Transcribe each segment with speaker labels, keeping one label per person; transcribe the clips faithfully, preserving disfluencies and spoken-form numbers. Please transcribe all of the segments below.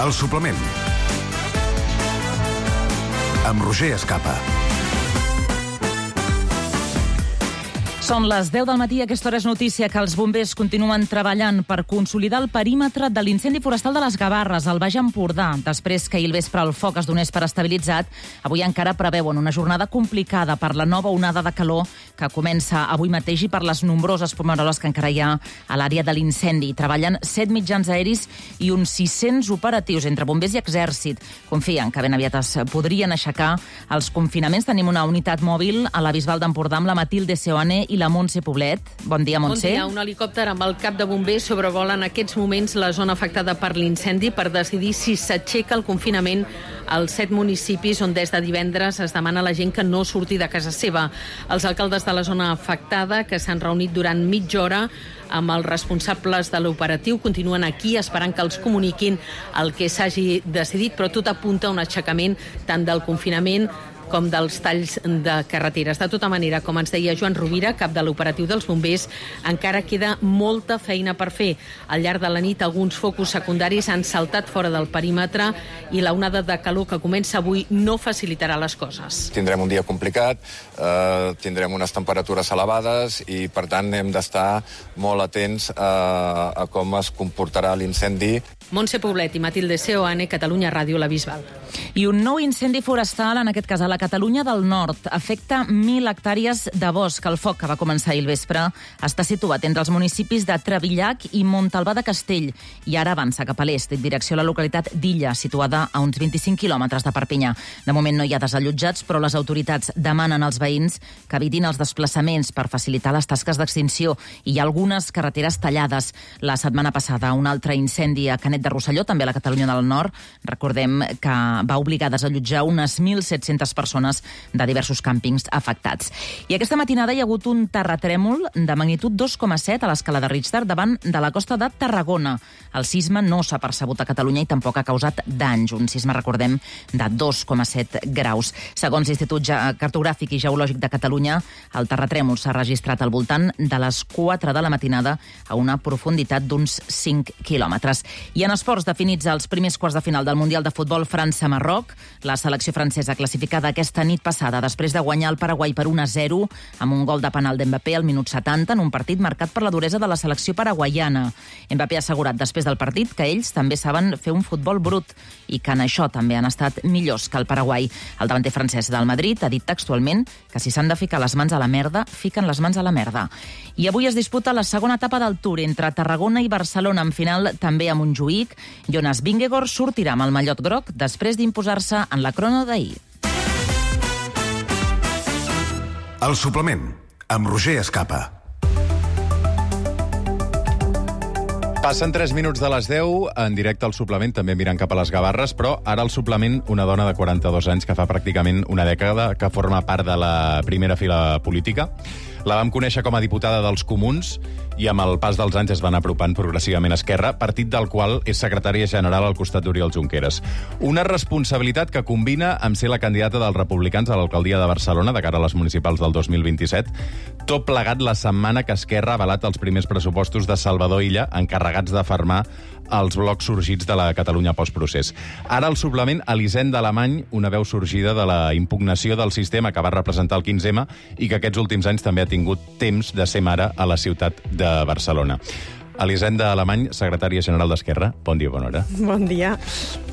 Speaker 1: El suplement amb Roger Escapa.
Speaker 2: Són les deu del matí, aquesta hora és notícia que els bombers continuen treballant per consolidar el perímetre de l'incendi forestal de les Gavarres, al Baix Empordà. Després que ahir al vespre el foc es donés per estabilitzat, avui encara preveuen una jornada complicada per la nova onada de calor que comença avui mateix i per les nombroses fumaroles que encara hi ha a l'àrea de l'incendi. Treballen set mitjans aeris i uns sis-cents operatius entre bombers i exèrcit. Confien que ben aviat es podrien aixecar els confinaments. Tenim una unitat mòbil a la Bisbal d'Empordà amb la Matilde Seoane i la Montse Poblet. Bon dia, Montse.
Speaker 3: Bon dia. Un helicòpter amb el cap de bombers sobrevola en aquests moments la zona afectada per l'incendi per decidir si s'aixeca el confinament als set municipis on des de divendres es demana a la gent que no surti de casa seva. Els alcaldes de la zona afectada, que s'han reunit durant mitja hora amb els responsables de l'operatiu, continuen aquí esperant que els comuniquin el que s'hagi decidit, però tot apunta a un aixecament tant del confinament com dels talls de carreteres. De tota manera, com ens deia Joan Rovira, cap de l'operatiu dels bombers, encara queda molta feina per fer. Al llarg de la nit, alguns focus secundaris han saltat fora del perímetre i la onada de calor que comença avui no facilitarà les coses.
Speaker 4: Tindrem un dia complicat, eh, tindrem unes temperatures elevades i, per tant, hem d'estar molt atents a, a com es comportarà l'incendi.
Speaker 3: Montse Poblet i Matilde Seoane, Catalunya Ràdio, la Bisbal.
Speaker 2: I un nou incendi forestal, en aquest cas a la Catalunya del Nord, afecta mil hectàrees de bosc. El foc, que va començar ahir al vespre, està situat entre els municipis de Trevillac i Montalbà de Castell i ara avança cap a l'est, en direcció a la localitat d'Illa, situada a uns vint-i-cinc quilòmetres de Perpinyà. De moment no hi ha desallotjats, però les autoritats demanen als veïns que evitin els desplaçaments per facilitar les tasques d'extinció. I hi ha algunes carreteres tallades. La setmana passada, un altre incendi a Canet de Rosselló, també a la Catalunya del Nord. Recordem que va obligar a desallotjar unes mil set-centes persones de diversos càmpings afectats. I aquesta matinada hi ha hagut un terratrèmol de magnitud dos coma set a l'escala de Richter davant de la costa de Tarragona. El sisme no s'ha percebut a Catalunya i tampoc ha causat danys. Un sisme, recordem, de dos coma set graus. Segons l'Institut Cartogràfic i Geològic de Catalunya, el terratrèmol s'ha registrat al voltant de les quatre de la matinada a una profunditat d'uns cinc quilòmetres. I en esports, definits els primers quarts de final del Mundial de Futbol França-Marroc, la selecció francesa classificada aquesta nit passada després de guanyar el Paraguai per un a zero amb un gol de penal d'Mbappé al minut setanta en un partit marcat per la duresa de la selecció paraguaiana. Mbappé ha assegurat després del partit que ells també saben fer un futbol brut i que en això també han estat millors que el Paraguai. El davanter francès del Madrid ha dit textualment que si s'han de ficar les mans a la merda, fiquen les mans a la merda. I avui es disputa la segona etapa del Tour entre Tarragona i Barcelona, en final també a Montjuïc. Jonas Vingegaard sortirà amb el mallot groc després d'imposar-se en la crono d'ahir.
Speaker 1: El suplement amb Roger Escapa.
Speaker 5: Passen tres minuts de les deu, en directe al suplement, també mirant cap a les Gavarres, però ara al suplement una dona de quaranta-dos anys que fa pràcticament una dècada que forma part de la primera fila política. La vam conèixer com a diputada dels Comuns i amb el pas dels anys es van apropant progressivament a Esquerra, partit del qual és secretària general al costat d'Oriol Junqueras. Una responsabilitat que combina amb ser la candidata dels republicans a l'alcaldia de Barcelona de cara a les municipals del dos mil vint-i-set, tot plegat la setmana que Esquerra ha avalat els primers pressupostos de Salvador Illa, encarregats de fermar els blocs sorgits de la Catalunya postprocés. Ara al suplement, Elisenda Alemany, una veu sorgida de la impugnació del sistema que va representar el quinze ema i que aquests últims anys també ha tingut temps de ser mare a la ciutat de Barcelona. Elisenda Alemany, secretària general d'Esquerra. Bon dia, bona hora.
Speaker 6: Bon dia.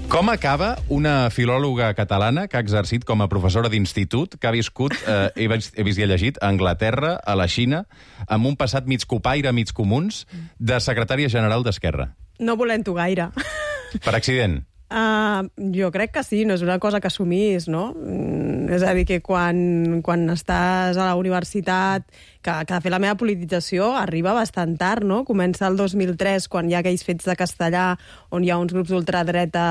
Speaker 5: Com acaba una filòloga catalana que ha exercit com a professora d'institut, que ha viscut, eh, he, vist, he vist i he llegit, a Anglaterra, a la Xina, amb un passat mig copaire, mig comuns, de secretària general d'Esquerra?
Speaker 6: No volent-ho gaire.
Speaker 5: Per accident?
Speaker 6: Uh, jo crec que sí, no és una cosa que assumís, no? Mm, és a dir, que quan, quan estàs a la universitat, que, que de fet la meva politització arriba bastant tard, no? Comença el dos mil tres, quan hi ha aquells fets de castellà, on hi ha uns grups d'ultradreta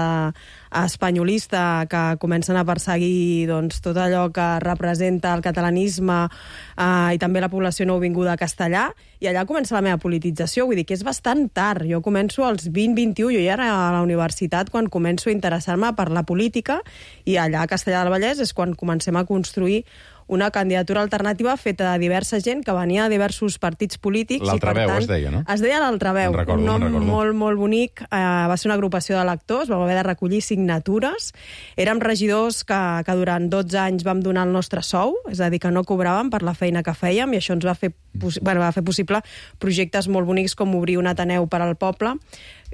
Speaker 6: espanyolista que comencen a perseguir doncs, tot allò que representa el catalanisme uh, i també la població nouvinguda a castellà, i allà comença la meva politització, vull dir que és bastant tard. Jo començo als vint vint-i-u, jo ja era a la universitat quan començo a interessar-me per la política, i allà a Castellar del Vallès és quan comencem a construir una candidatura alternativa feta de diversa gent que venia de diversos partits polítics.
Speaker 5: L'Altra Veu es deia, no?
Speaker 6: Es deia l'Altra Veu,
Speaker 5: recordo,
Speaker 6: un nom
Speaker 5: recordo.
Speaker 6: molt, molt bonic. Eh, va ser una agrupació de lectors, vam haver de recollir signatures. Érem regidors que, que durant dotze anys vam donar el nostre sou, és a dir, que no cobràvem per la feina que fèiem, i això ens va fer, bueno, va fer possible projectes molt bonics com obrir un Ateneu per al poble.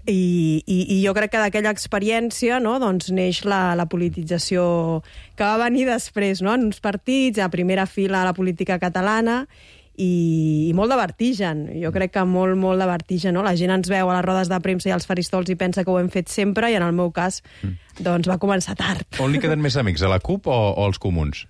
Speaker 6: I, i, i jo crec que d'aquella experiència, no, doncs neix la, la politització que va venir després, no, en uns partits, a primera fila a la política catalana, i, i molt de vertigen. Jo crec que molt, molt de vertigen, no? La gent ens veu a les rodes de premsa i als faristols i pensa que ho hem fet sempre, i en el meu cas, doncs va començar tard.
Speaker 5: On li queden més amics, a la CUP o, o als comuns?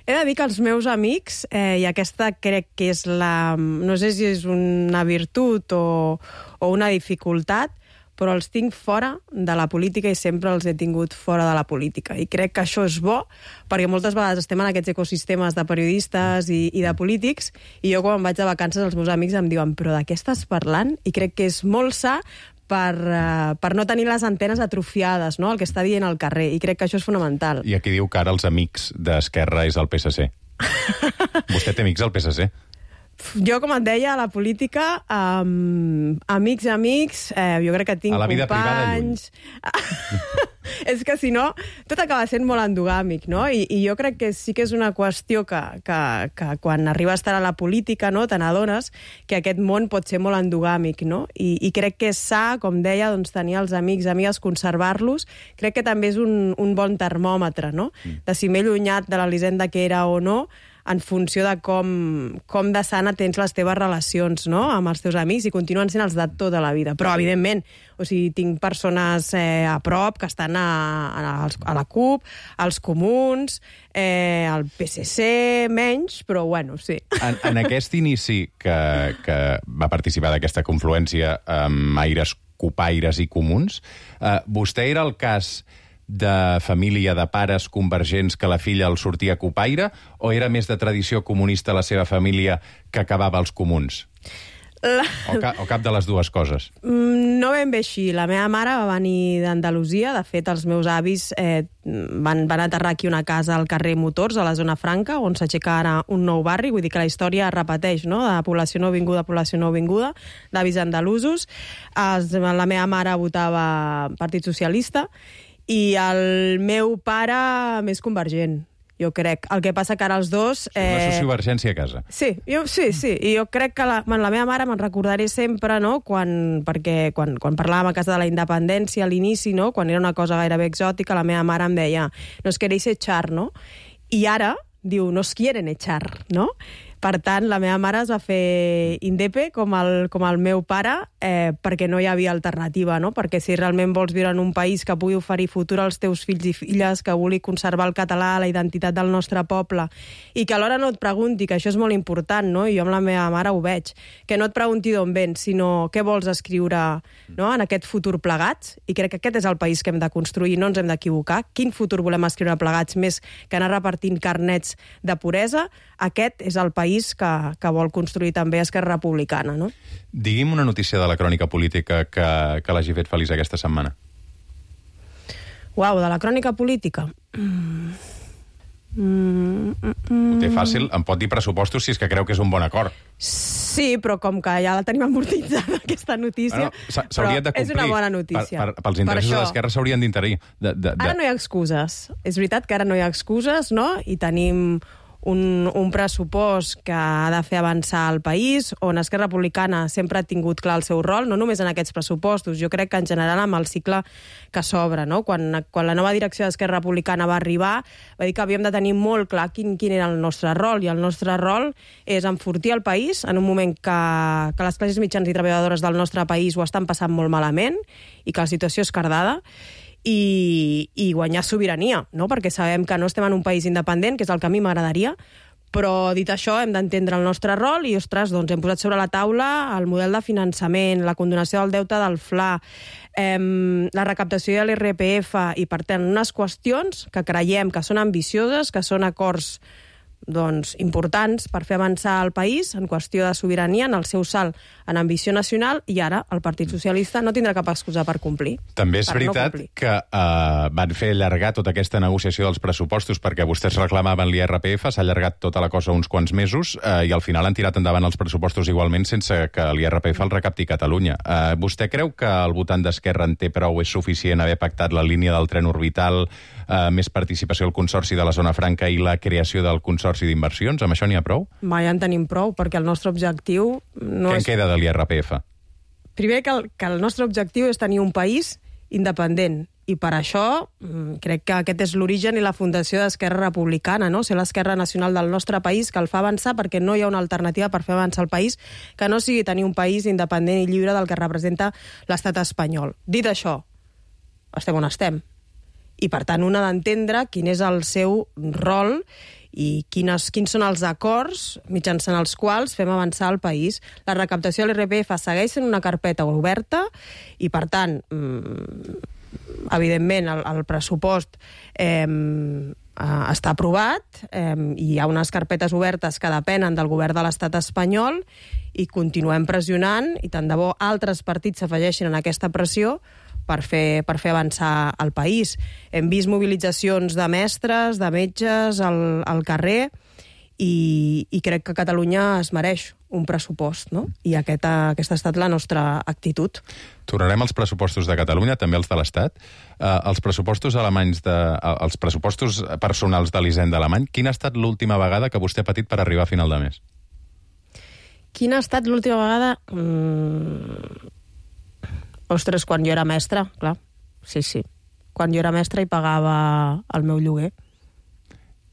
Speaker 6: He de dir que els meus amics, eh, i aquesta crec que és la... no sé si és una virtut o, o una dificultat, però els tinc fora de la política i sempre els he tingut fora de la política. I crec que això és bo, perquè moltes vegades estem en aquests ecosistemes de periodistes i, i de polítics, i jo quan vaig de vacances els meus amics em diuen però de què estàs parlant? I crec que és molt sa per, uh, per no tenir les antenes atrofiades, no?, el que està dient al carrer, i crec que això és fonamental.
Speaker 5: I aquí diu que ara els amics d'Esquerra és el P S C. Vostè té amics al P S C?
Speaker 6: Jo, com et deia, a la política, um, amics, amics, eh, jo crec que tinc companys...
Speaker 5: A la vida privada, lluny.
Speaker 6: És que, si no, tot acaba sent molt endogàmic, no? I, i jo crec que sí que és una qüestió que, que, que quan arriba a estar a la política, no, te n'adones que aquest món pot ser molt endogàmic, no? I, i crec que és sa, com deia, doncs, tenir els amics, amigues, conservar-los. Crec que també és un, un bon termòmetre, no? De si m'he allunyat de l'Elisenda que era o no, en funció de com, com de sana tens les teves relacions, no?, amb els teus amics, i continuen sent els de tota la vida. Però, evidentment, o sigui, tinc persones eh, a prop que estan a, a, a la CUP, als comuns, eh, al P S C, menys, però, bueno, sí.
Speaker 5: En, en aquest inici que, que va participar d'aquesta confluència amb aires cupaires i comuns, eh, vostè era el cas de família de pares convergents que la filla el sortia cupaire, o era més de tradició comunista la seva família que acabava als comuns?
Speaker 6: La...
Speaker 5: O, ca, o cap de les dues coses?
Speaker 6: No ben bé així. La meva mare va venir d'Andalusia. De fet, els meus avis eh, van, van aterrar aquí una casa al carrer Motors, a la zona franca, on s'aixeca ara un nou barri. Vull dir que la història es repeteix, no?, de població nouvinguda, població nouvinguda, d'avis andalusos. Els, la meva mare votava Partit Socialista, i el meu pare més convergent, jo crec. El que passa que ara els dos...
Speaker 5: Eh... Una sociovergència a casa.
Speaker 6: Sí, jo, sí, sí. I jo crec que la, la meva mare me'n recordaré sempre, no?, quan, perquè quan, quan parlàvem a casa de la independència a l'inici, no?, quan era una cosa gairebé exòtica, la meva mare em deia nos queréis echar, no? I ara diu nos quieren echar, no? Per tant, la meva mare es va fer indepe com el, com el meu pare, eh, perquè no hi havia alternativa, no? Perquè si realment vols viure en un país que pugui oferir futur als teus fills i filles, que vulgui conservar el català, la identitat del nostre poble, i que alhora no et pregunti, que això és molt important, no? I jo amb la meva mare ho veig, que no et pregunti d'on vens, sinó què vols escriure, no?, en aquest futur plegats, i crec que aquest és el país que hem de construir, no ens hem d'equivocar. Quin futur volem escriure plegats més que anar repartint carnets de puresa? Aquest és el país que, que vol construir també Esquerra Republicana, no?
Speaker 5: Digui'm una notícia de la crònica política que, que l'hagi fet feliç aquesta setmana.
Speaker 6: Uau, de la crònica política? Mm. Mm, mm, mm.
Speaker 5: Ho té fàcil, em pot dir pressupostos si és que creu que és un bon acord.
Speaker 6: Sí, però com que ja la tenim amortitzada, aquesta notícia,
Speaker 5: bueno, s'hauria de complir.
Speaker 6: És una bona notícia.
Speaker 5: Per, per, pels interessos per de l'Esquerra s'haurien d'interir. De, de, de...
Speaker 6: Ara no hi ha excuses. És veritat que ara no hi ha excuses, no? I tenim un, un pressupost que ha de fer avançar el país, on Esquerra Republicana sempre ha tingut clar el seu rol, no només en aquests pressupostos, jo crec que en general amb el cicle que s'obre, no? Quan, quan la nova direcció d'Esquerra Republicana va arribar, va dir que havíem de tenir molt clar quin, quin era el nostre rol, i el nostre rol és enfortir el país en un moment que, que les classes mitjans i treballadores del nostre país ho estan passant molt malament i que la situació és cardada, I, i guanyar sobirania, no? Perquè sabem que no estem en un país independent, que és el que a mi m'agradaria, però dit això hem d'entendre el nostre rol i, ostres, doncs hem posat sobre la taula el model de finançament, la condonació del deute del F L A, eh, la recaptació de l'I R P F, i per tant unes qüestions que creiem que són ambicioses, que són acords doncs, importants per fer avançar el país en qüestió de sobirania, en el seu salt en ambició nacional, i ara el Partit Socialista no tindrà cap excusa per complir.
Speaker 5: També és veritat no que uh, van fer allargar tota aquesta negociació dels pressupostos perquè vostès reclamaven l'I R P F, s'ha allargat tota la cosa uns quants mesos uh, i al final han tirat endavant els pressupostos igualment sense que l'I R P F el recapti Catalunya. Uh, vostè creu que el votant d'Esquerra en té prou, és suficient haver pactat la línia del tren orbital, uh, més participació al Consorci de la Zona Franca i la creació del Consorci d'inversions? Amb això n'hi ha prou?
Speaker 6: Mai en tenim prou, perquè el nostre objectiu no
Speaker 5: Què
Speaker 6: és...
Speaker 5: en queda de l'I R P F?
Speaker 6: Primer, que el, que el nostre objectiu és tenir un país independent, i per això crec que aquest és l'origen i la fundació d'Esquerra Republicana, no? Ser l'esquerra nacional del nostre país, que el fa avançar perquè no hi ha una alternativa per fer avançar el país que no sigui tenir un país independent i lliure del que representa l'estat espanyol. Dit això, estem on estem. I, per tant, un ha d'entendre quin és el seu rol i quines, quins són els acords mitjançant els quals fem avançar el país. La recaptació de l'I R P F segueix sent una carpeta oberta i, per tant, evidentment, el, el pressupost eh, està aprovat, eh, i hi ha unes carpetes obertes que depenen del govern de l'estat espanyol i continuem pressionant, i tant de bo altres partits s'afegeixin en aquesta pressió per fer, per fer avançar el país. Hem vist mobilitzacions de mestres, de metges al, al carrer, i, i crec que Catalunya es mereix un pressupost, no? I aquesta, aquesta ha estat la nostra actitud.
Speaker 5: Tornarem als pressupostos de Catalunya, també els de l'Estat. Uh, els pressupostos alemanys, de, uh, els pressupostos personals de l'Hisenda alemany, quina ha estat l'última vegada que vostè ha patit per arribar a final de mes?
Speaker 6: Quina ha estat l'última vegada? Mm... Ostres, quan jo era mestra, clar. Sí, sí. Quan jo era mestra i pagava el meu lloguer.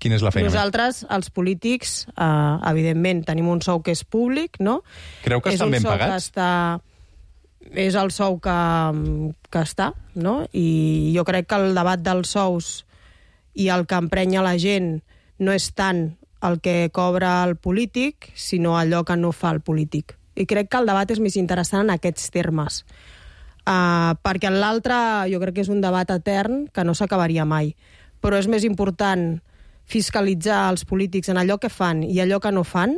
Speaker 5: Quina és la feina?
Speaker 6: Nosaltres, els polítics, eh, evidentment, tenim un sou que és públic, no?
Speaker 5: Creu que
Speaker 6: és
Speaker 5: estan ben
Speaker 6: que
Speaker 5: pagats?
Speaker 6: Està... És el sou que, que està, no? I jo crec que el debat dels sous i el que emprenya la gent no és tant el que cobra el polític, sinó allò que no fa el polític. I crec que el debat és més interessant en aquests termes. Uh, perquè l'altre jo crec que és un debat etern que no s'acabaria mai. Però és més important fiscalitzar els polítics en allò que fan i allò que no fan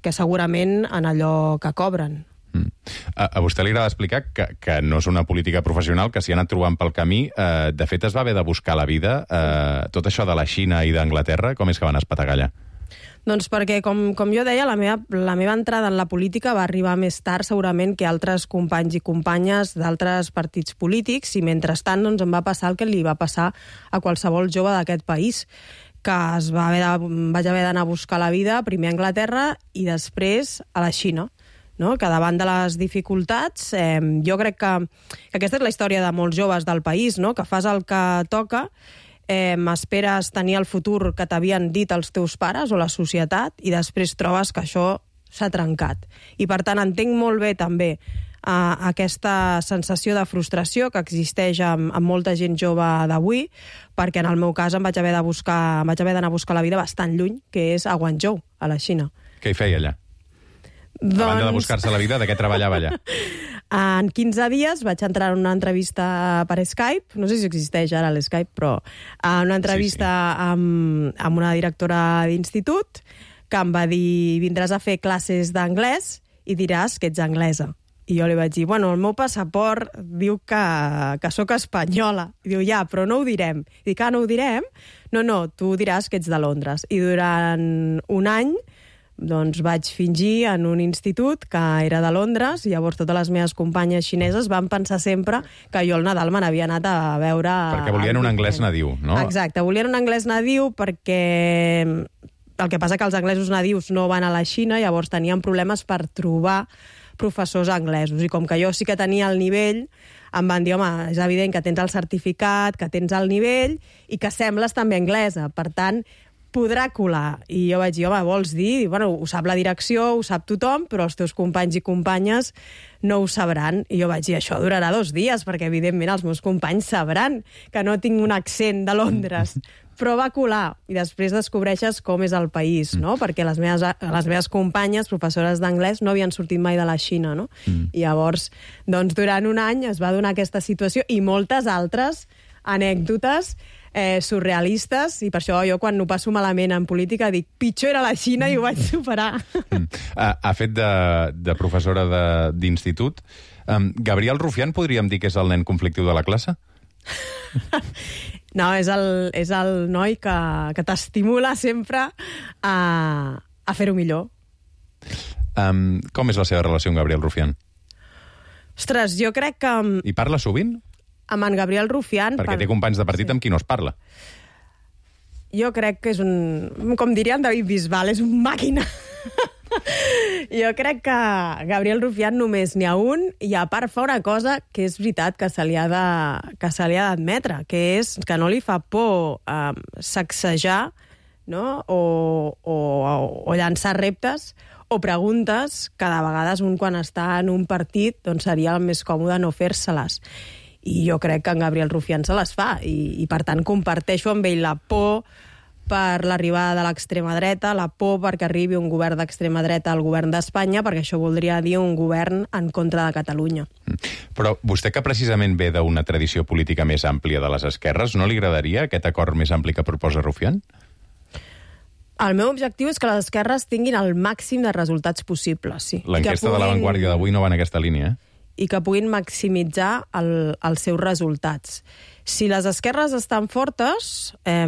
Speaker 6: que segurament en allò que cobren.
Speaker 5: Mm. A, a vostè li agrada explicar que, que no és una política professional, que s'hi ha anat trobant pel camí. Eh, de fet, es va haver de buscar la vida. Eh, tot això de la Xina i d'Anglaterra, com és que van espetegar allà?
Speaker 6: Doncs perquè, com, com jo deia, la meva, la meva entrada en la política va arribar més tard segurament que altres companys i companyes d'altres partits polítics, i mentrestant doncs, em va passar el que li va passar a qualsevol jove d'aquest país, que es va haver de, vaig haver d'anar a buscar la vida primer a Anglaterra i després a la Xina. No? Que davant de les dificultats, eh, jo crec que, que aquesta és la història de molts joves del país, no? Que fas el que toca, eh, esperes tenir el futur que t'havien dit els teus pares o la societat, i després trobes que això s'ha trencat. I per tant entenc molt bé també eh, aquesta sensació de frustració que existeix amb, amb molta gent jove d'avui, perquè en el meu cas em vaig haver de buscar, em vaig haver d'anar a buscar la vida bastant lluny, que és a Guangzhou, a la Xina.
Speaker 5: Què hi feia allà?
Speaker 6: Doncs...
Speaker 5: A banda de buscar-se la vida, de què treballava allà?
Speaker 6: En quinze dies vaig entrar en una entrevista per Skype, no sé si existeix ara l'Skype, però en una entrevista sí, sí. Amb, amb una directora d'institut que em va dir: vindràs a fer classes d'anglès i diràs que ets anglesa. I jo li vaig dir, bueno, el meu passaport diu que, que sóc espanyola. I diu, ja, però no ho direm. I dic, ah, no ho direm? No, no, tu diràs que ets de Londres. I durant un any doncs vaig fingir en un institut que era de Londres, i llavors totes les meves companyes xineses van pensar sempre que jo al Nadal me n'havia anat a veure...
Speaker 5: Perquè volien un anglès nadiu, no?
Speaker 6: Exacte, volien un anglès nadiu perquè el que passa que els anglesos nadius no van a la Xina, llavors tenien problemes per trobar professors anglesos, i com que jo sí que tenia el nivell, em van dir, home, és evident que tens el certificat, que tens el nivell i que sembles també anglesa, per tant podrà colar. I jo vaig dir, home, vols dir? Bueno, ho sap la direcció, ho sap tothom, però els teus companys i companyes no ho sabran. I jo vaig dir, això durarà dos dies, perquè evidentment els meus companys sabran que no tinc un accent de Londres. Però va colar, i després descobreixes com és el país, no? Perquè les meves, les meves companyes, professores d'anglès, no havien sortit mai de la Xina, no? Mm. I llavors, doncs, durant un any es va donar aquesta situació i moltes altres anècdotes eh, surrealistes, i per això jo quan ho passo malament en política dic pitjor era la Xina i ho vaig superar.
Speaker 5: Mm. Ha, ha fet de, de professora d'institut. Um, Gabriel Rufián podríem dir que és el nen conflictiu de la classe?
Speaker 6: No, és el, és el noi que, que t'estimula sempre a, a fer-ho millor.
Speaker 5: Um, com és la seva relació amb Gabriel Rufián?
Speaker 6: Ostres, jo crec que...
Speaker 5: I parla sovint?
Speaker 6: Amb en Gabriel Rufián...
Speaker 5: Perquè té companys de partit sí. amb qui no es parla.
Speaker 6: Jo crec que és un... Com diria en David Bisbal, és un màquina. Jo crec que Gabriel Rufián només n'hi ha un, i a part fa una cosa que és veritat que se li ha de, que se li ha d'admetre, que és que no li fa por eh, sacsejar, no? o, o, o llançar reptes o preguntes que de vegades un quan està en un partit doncs seria el més còmode no fer-se-les. I jo crec que en Gabriel Rufián se les fa, i, i per tant comparteixo amb ell la por per l'arribada de l'extrema dreta, la por perquè arribi un govern d'extrema dreta al govern d'Espanya, perquè això voldria dir un govern en contra de Catalunya.
Speaker 5: Però vostè, que precisament ve d'una tradició política més àmplia de les esquerres, no li agradaria aquest acord més ampli que proposa Rufián?
Speaker 6: El meu objectiu és que les esquerres tinguin el màxim de resultats possibles, sí.
Speaker 5: L'enquesta puguin... de La Vanguardia d'avui no va en aquesta línia, eh?
Speaker 6: I que puguin maximitzar el, els seus resultats. Si les esquerres estan fortes, eh,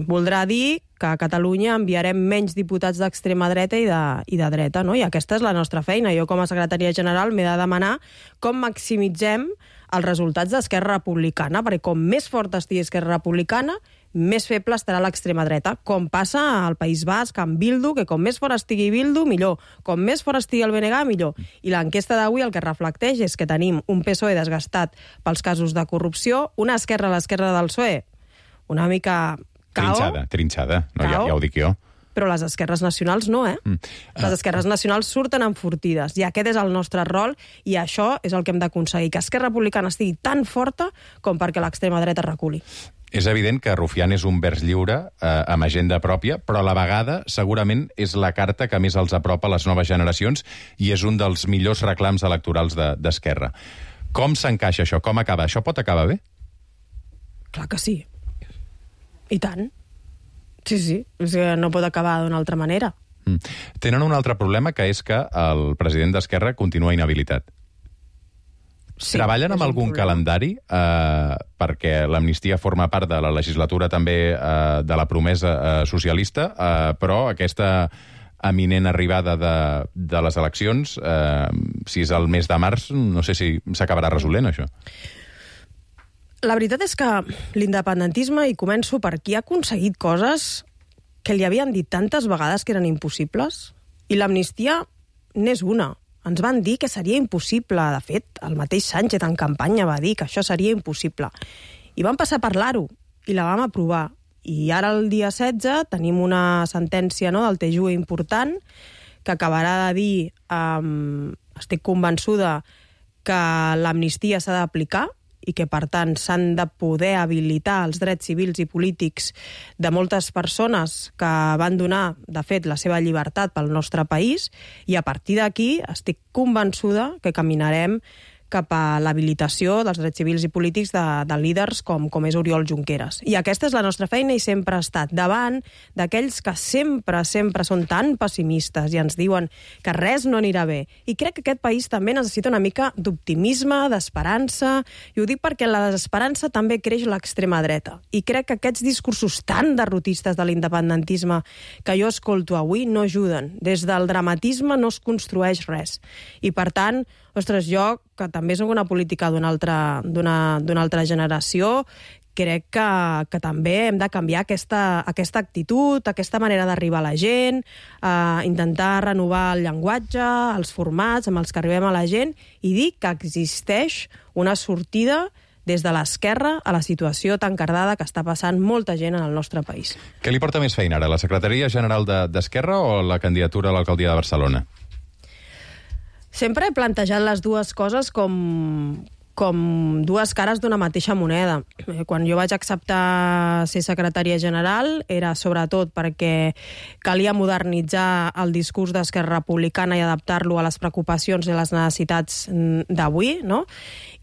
Speaker 6: voldrà dir que a Catalunya enviarem menys diputats d'extrema dreta i de, i de dreta, no? I aquesta és la nostra feina. Jo, com a secretària general, m'he de demanar com maximitzem els resultats d'Esquerra Republicana, perquè com més forta estigui Esquerra Republicana, més feble estarà l'extrema dreta, com passa al País Basc amb Bildu, que com més fora estigui Bildu, millor. Com més fora estigui el B N G, millor. I l'enquesta d'avui el que reflecteix és que tenim un P S O E desgastat pels casos de corrupció, una esquerra a l'esquerra del P S O E una mica cao.
Speaker 5: Trinxada, trinxada. No, ja, ja ho dic jo.
Speaker 6: Però les esquerres nacionals no, eh? Mm. Les esquerres nacionals surten enfortides, i aquest és el nostre rol, i això és el que hem d'aconseguir, que Esquerra Republicana estigui tan forta com perquè l'extrema dreta reculi.
Speaker 5: És evident que Rufián és un vers lliure eh, amb agenda pròpia, però a la vegada segurament és la carta que més els apropa a les noves generacions i és un dels millors reclams electorals d'Esquerra. De, Com s'encaixa això? Com acaba? Això pot acabar bé?
Speaker 6: Clar que sí. I tant. Sí, sí. És que no pot acabar d'una altra manera.
Speaker 5: Mm. Tenen un altre problema, que és que el president d'Esquerra continua inhabilitat. Sí, treballen amb algun calendari eh, perquè l'amnistia forma part de la legislatura també eh, de la promesa eh, socialista, eh, però aquesta eminent arribada de, de les eleccions, eh, si és el mes de març, no sé si s'acabarà resolent això.
Speaker 6: La veritat és que l'independentisme, i començo per qui ha aconseguit coses que li havien dit tantes vegades que eren impossibles, i l'amnistia n'és una. Ens van dir que seria impossible. De fet, el mateix Sánchez en campanya va dir que això seria impossible. I vam passar a parlar-ho, i la vam aprovar. I ara, el dia setze, tenim una sentència, no, del T J U E important, que acabarà de dir, um, estic convençuda, que l'amnistia s'ha d'aplicar, i que, per tant, s'han de poder habilitar els drets civils i polítics de moltes persones que van donar, de fet, la seva llibertat pel nostre país, i a partir d'aquí estic convençuda que caminarem cap a l'habilitació dels drets civils i polítics de, de líders com, com és Oriol Junqueras. I aquesta és la nostra feina, i sempre ha estat davant d'aquells que sempre, sempre són tan pessimistes i ens diuen que res no anirà bé. I crec que aquest país també necessita una mica d'optimisme, d'esperança, i ho dic perquè la desesperança també creix l'extrema dreta. I crec que aquests discursos tan derrotistes de l'independentisme que jo escolto avui no ajuden. Des del dramatisme no es construeix res. I, per tant, ostres, jo, que també soc una política d'una altra, d'una, d'una altra generació, crec que, que també hem de canviar aquesta, aquesta actitud, aquesta manera d'arribar a la gent, eh, intentar renovar el llenguatge, els formats amb els que arribem a la gent, i dir que existeix una sortida des de l'esquerra a la situació tan cardada que està passant molta gent en el nostre país.
Speaker 5: Què li porta més feina ara, la Secretaria General d'Esquerra o la candidatura a l'alcaldia de Barcelona?
Speaker 6: Sempre he plantejat les dues coses com, com dues cares d'una mateixa moneda. Quan jo vaig acceptar ser secretària general era sobretot perquè calia modernitzar el discurs d'Esquerra Republicana i adaptar-lo a les preocupacions i les necessitats d'avui, no?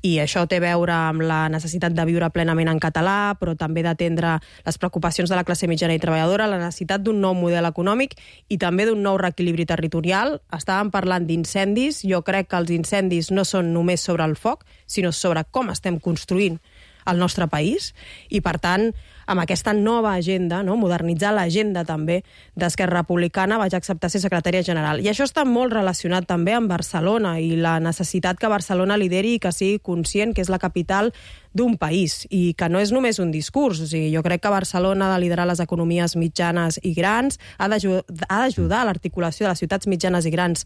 Speaker 6: I això té a veure amb la necessitat de viure plenament en català, però també d'atendre les preocupacions de la classe mitjana i treballadora, la necessitat d'un nou model econòmic i també d'un nou reequilibri territorial. Estàvem parlant d'incendis. Jo crec que els incendis no són només sobre el foc, sinó sobre com estem construint el nostre país, i per tant, amb aquesta nova agenda, no, modernitzar l'agenda també d'Esquerra Republicana, vaig acceptar ser secretària general. I això està molt relacionat també amb Barcelona i la necessitat que Barcelona lideri i que sigui conscient que és la capital d'un país i que no és només un discurs. O sigui, jo crec que Barcelona ha de liderar les economies mitjanes i grans, ha d'ajudar a l'articulació de les ciutats mitjanes i grans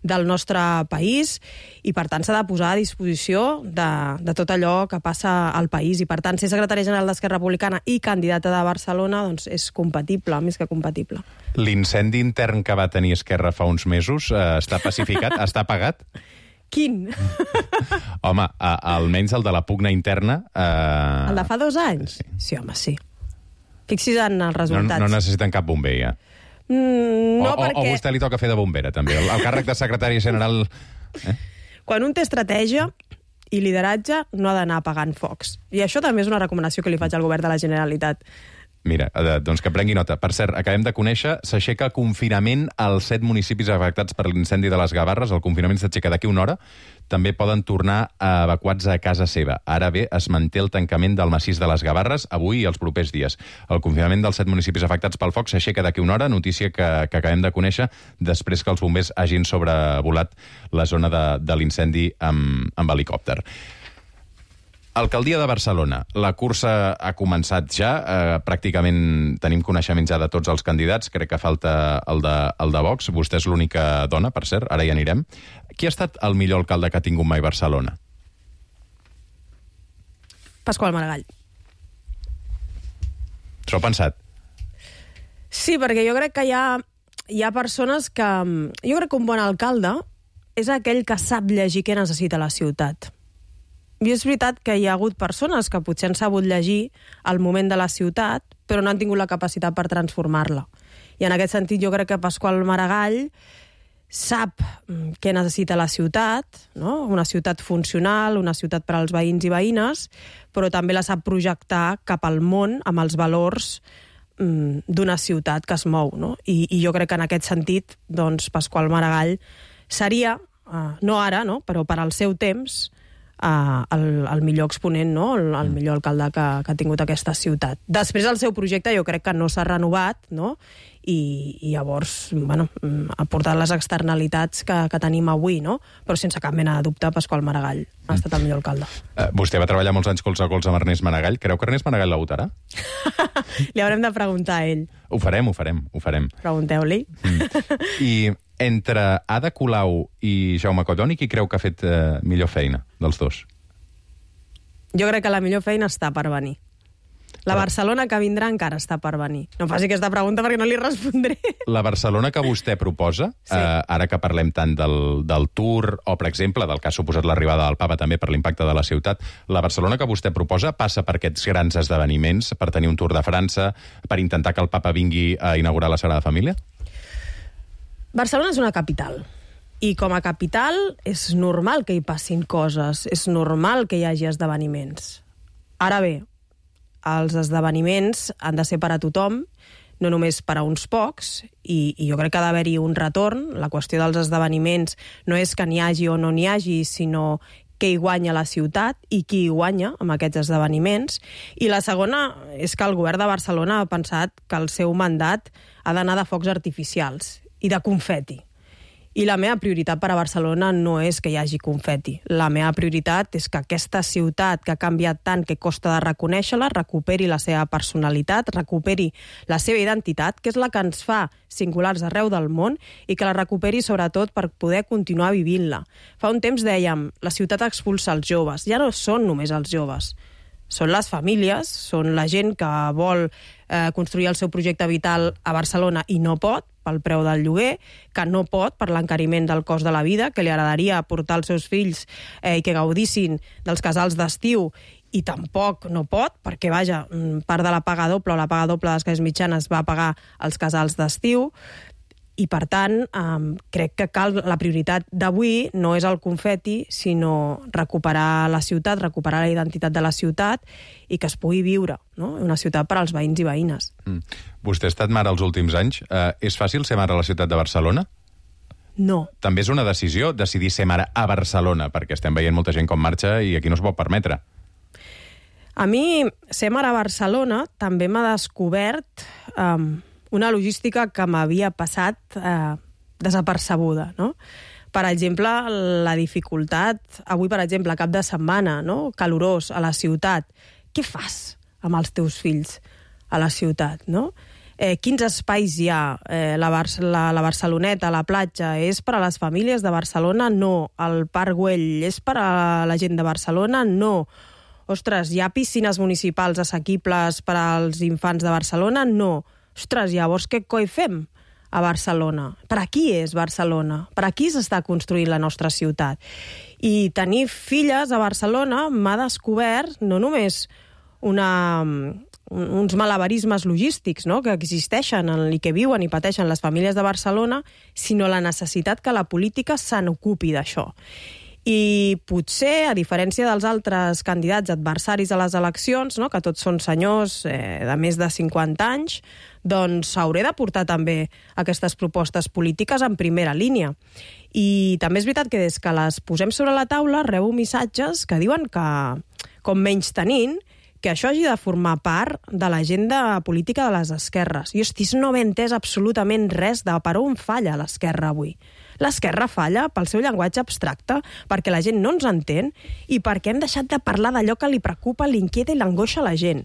Speaker 6: del nostre país i, per tant, s'ha de posar a disposició de, de tot allò que passa al país. I, per tant, ser secretària general d'Esquerra Republicana i candidata de Barcelona doncs, és compatible, més que compatible.
Speaker 5: L'incendi intern que va tenir Esquerra fa uns mesos eh, està pacificat? Està apagat?
Speaker 6: Quin?
Speaker 5: Home, a, almenys el de la pugna interna... Eh...
Speaker 6: El de fa dos anys? Sí, sí home, sí. Fixi's en els resultats.
Speaker 5: No, no necessiten cap bomber, ja.
Speaker 6: Mm, no,
Speaker 5: o,
Speaker 6: perquè...
Speaker 5: o vostè li toca fer de bombera, també. El, el càrrec de secretari general... Eh?
Speaker 6: Quan un té estratègia i lideratge, no ha d'anar apagant focs. I això també és una recomanació que li faig al govern de la Generalitat.
Speaker 5: Mira, doncs que prengui nota. Per cert, acabem de conèixer, s'aixeca confinament als set municipis afectats per l'incendi de les Gavarres. El confinament s'aixeca d'aquí una hora. També poden tornar a evacuats a casa seva. Ara bé, es manté el tancament del massís de les Gavarres avui i els propers dies. El confinament dels set municipis afectats pel foc s'aixeca d'aquí una hora, notícia que, que acabem de conèixer després que els bombers hagin sobrevolat la zona de, de l'incendi amb, amb helicòpter. Alcaldia de Barcelona. La cursa ha començat ja. Eh, pràcticament tenim coneixement ja de tots els candidats. Crec que falta el de, el de Vox. Vostè és l'única dona, per cert. Ara hi anirem. Qui ha estat el millor alcalde que ha tingut mai Barcelona?
Speaker 6: Pasqual Maragall.
Speaker 5: S'ho ha pensat?
Speaker 6: Sí, perquè jo crec que hi ha, hi ha persones que... Jo crec que un bon alcalde és aquell que sap llegir què necessita la ciutat. I és veritat que hi ha hagut persones que potser han sabut llegir el moment de la ciutat, però no han tingut la capacitat per transformar-la. I en aquest sentit jo crec que Pasqual Maragall sap què necessita la ciutat, no? Una ciutat funcional, una ciutat per als veïns i veïnes, però també la sap projectar cap al món amb els valors mm, d'una ciutat que es mou, no? I, i jo crec que en aquest sentit, doncs, Pasqual Maragall seria, eh, no ara, no? Però per al seu temps, Uh, el, el millor exponent, no? el, el millor alcalde que, que ha tingut aquesta ciutat. Després el seu projecte jo crec que no s'ha renovat, no? I, i llavors bueno, ha portat les externalitats que, que tenim avui, no? Però sense cap mena de dubte Pasqual Maragall ha estat el millor alcalde.
Speaker 5: Uh, vostè va treballar molts anys colze a colze amb Ernest Maragall. Creu que Ernest Maragall la votarà?
Speaker 6: Li haurem de preguntar a ell.
Speaker 5: Ho farem, ho farem, ho farem.
Speaker 6: Pregunteu-li.
Speaker 5: Mm. I entre Ada Colau i Jaume Colloni, qui creu que ha fet eh, millor feina dels dos?
Speaker 6: Jo crec que la millor feina està per venir. La Però... Barcelona que vindrà encara està per venir. No faci aquesta pregunta perquè no li respondré.
Speaker 5: La Barcelona que vostè proposa, sí. eh, ara que parlem tant del, del Tour, o, per exemple, del que ha suposat l'arribada del Papa també per l'impacte de la ciutat, la Barcelona que vostè proposa passa per aquests grans esdeveniments, per tenir un Tour de França, per intentar que el Papa vingui a inaugurar la Sagrada Família?
Speaker 6: Barcelona és una capital, i com a capital és normal que hi passin coses, és normal que hi hagi esdeveniments. Ara bé, els esdeveniments han de ser per a tothom, no només per a uns pocs, i, i jo crec que ha d'haver-hi un retorn. La qüestió dels esdeveniments no és que n'hi hagi o no n'hi hagi, sinó què hi guanya la ciutat i qui hi guanya amb aquests esdeveniments. I la segona és que el govern de Barcelona ha pensat que el seu mandat ha d'anar de focs artificials i de confeti. I la meva prioritat per a Barcelona no és que hi hagi confeti. La meva prioritat és que aquesta ciutat que ha canviat tant que costa de reconèixer-la, recuperi la seva personalitat, recuperi la seva identitat, que és la que ens fa singulars arreu del món, i que la recuperi sobretot per poder continuar vivint-la. Fa un temps dèiem, la ciutat expulsa els joves. Ja no són només els joves. Són les famílies, són la gent que vol eh, construir el seu projecte vital a Barcelona i no pot, pel preu del lloguer, que no pot per l'encariment del cost de la vida, que li agradaria portar els seus fills eh, i que gaudissin dels casals d'estiu i tampoc no pot, perquè, vaja, part de la paga doble o la paga doble de les classes mitjanes va pagar els casals d'estiu. I, per tant, um, crec que cal la prioritat d'avui no és el confeti, sinó recuperar la ciutat, recuperar la identitat de la ciutat i que es pugui viure, no? Una ciutat per als veïns i veïnes.
Speaker 5: Mm. Vostè ha estat mare els últims anys. Uh, és fàcil ser mare a la ciutat de Barcelona?
Speaker 6: No.
Speaker 5: També és una decisió decidir ser mare a Barcelona, perquè estem veient molta gent com marxa i aquí no es pot permetre.
Speaker 6: A mi, ser mare a Barcelona també m'ha descobert um, una logística que m'havia passat eh, desapercebuda, no? Per exemple, la dificultat, avui, per exemple, cap de setmana, no? Calorós, a la ciutat. Què fas amb els teus fills a la ciutat, no? Eh, quins espais hi ha? Eh, la, Bar la, la Barceloneta, la platja, és per a les famílies de Barcelona? No. El Parc Güell és per a la gent de Barcelona? No. Ostres, hi ha piscines municipals assequibles per als infants de Barcelona? No. Ostres, llavors què coi fem a Barcelona? Per a qui és Barcelona? Per a qui s'està construint la nostra ciutat? I tenir filles a Barcelona m'ha descobert no només una, uns malabarismes logístics, no?, que existeixen i que viuen i pateixen les famílies de Barcelona, sinó la necessitat que la política se n'ocupi d'això. I potser, a diferència dels altres candidats adversaris a les eleccions, no?, que tots són senyors eh, de més de cinquanta anys, doncs hauré de portar també aquestes propostes polítiques en primera línia. I també és veritat que des que les posem sobre la taula rebo missatges que diuen que, com menys tenint, que això hagi de formar part de l'agenda política de les esquerres. I, hosti, no m'he entès absolutament res de per on falla l'esquerra avui. L'esquerra falla pel seu llenguatge abstracte, perquè la gent no ens entén i perquè hem deixat de parlar d'allò que li preocupa, l'inquieta i l'angoixa a la gent.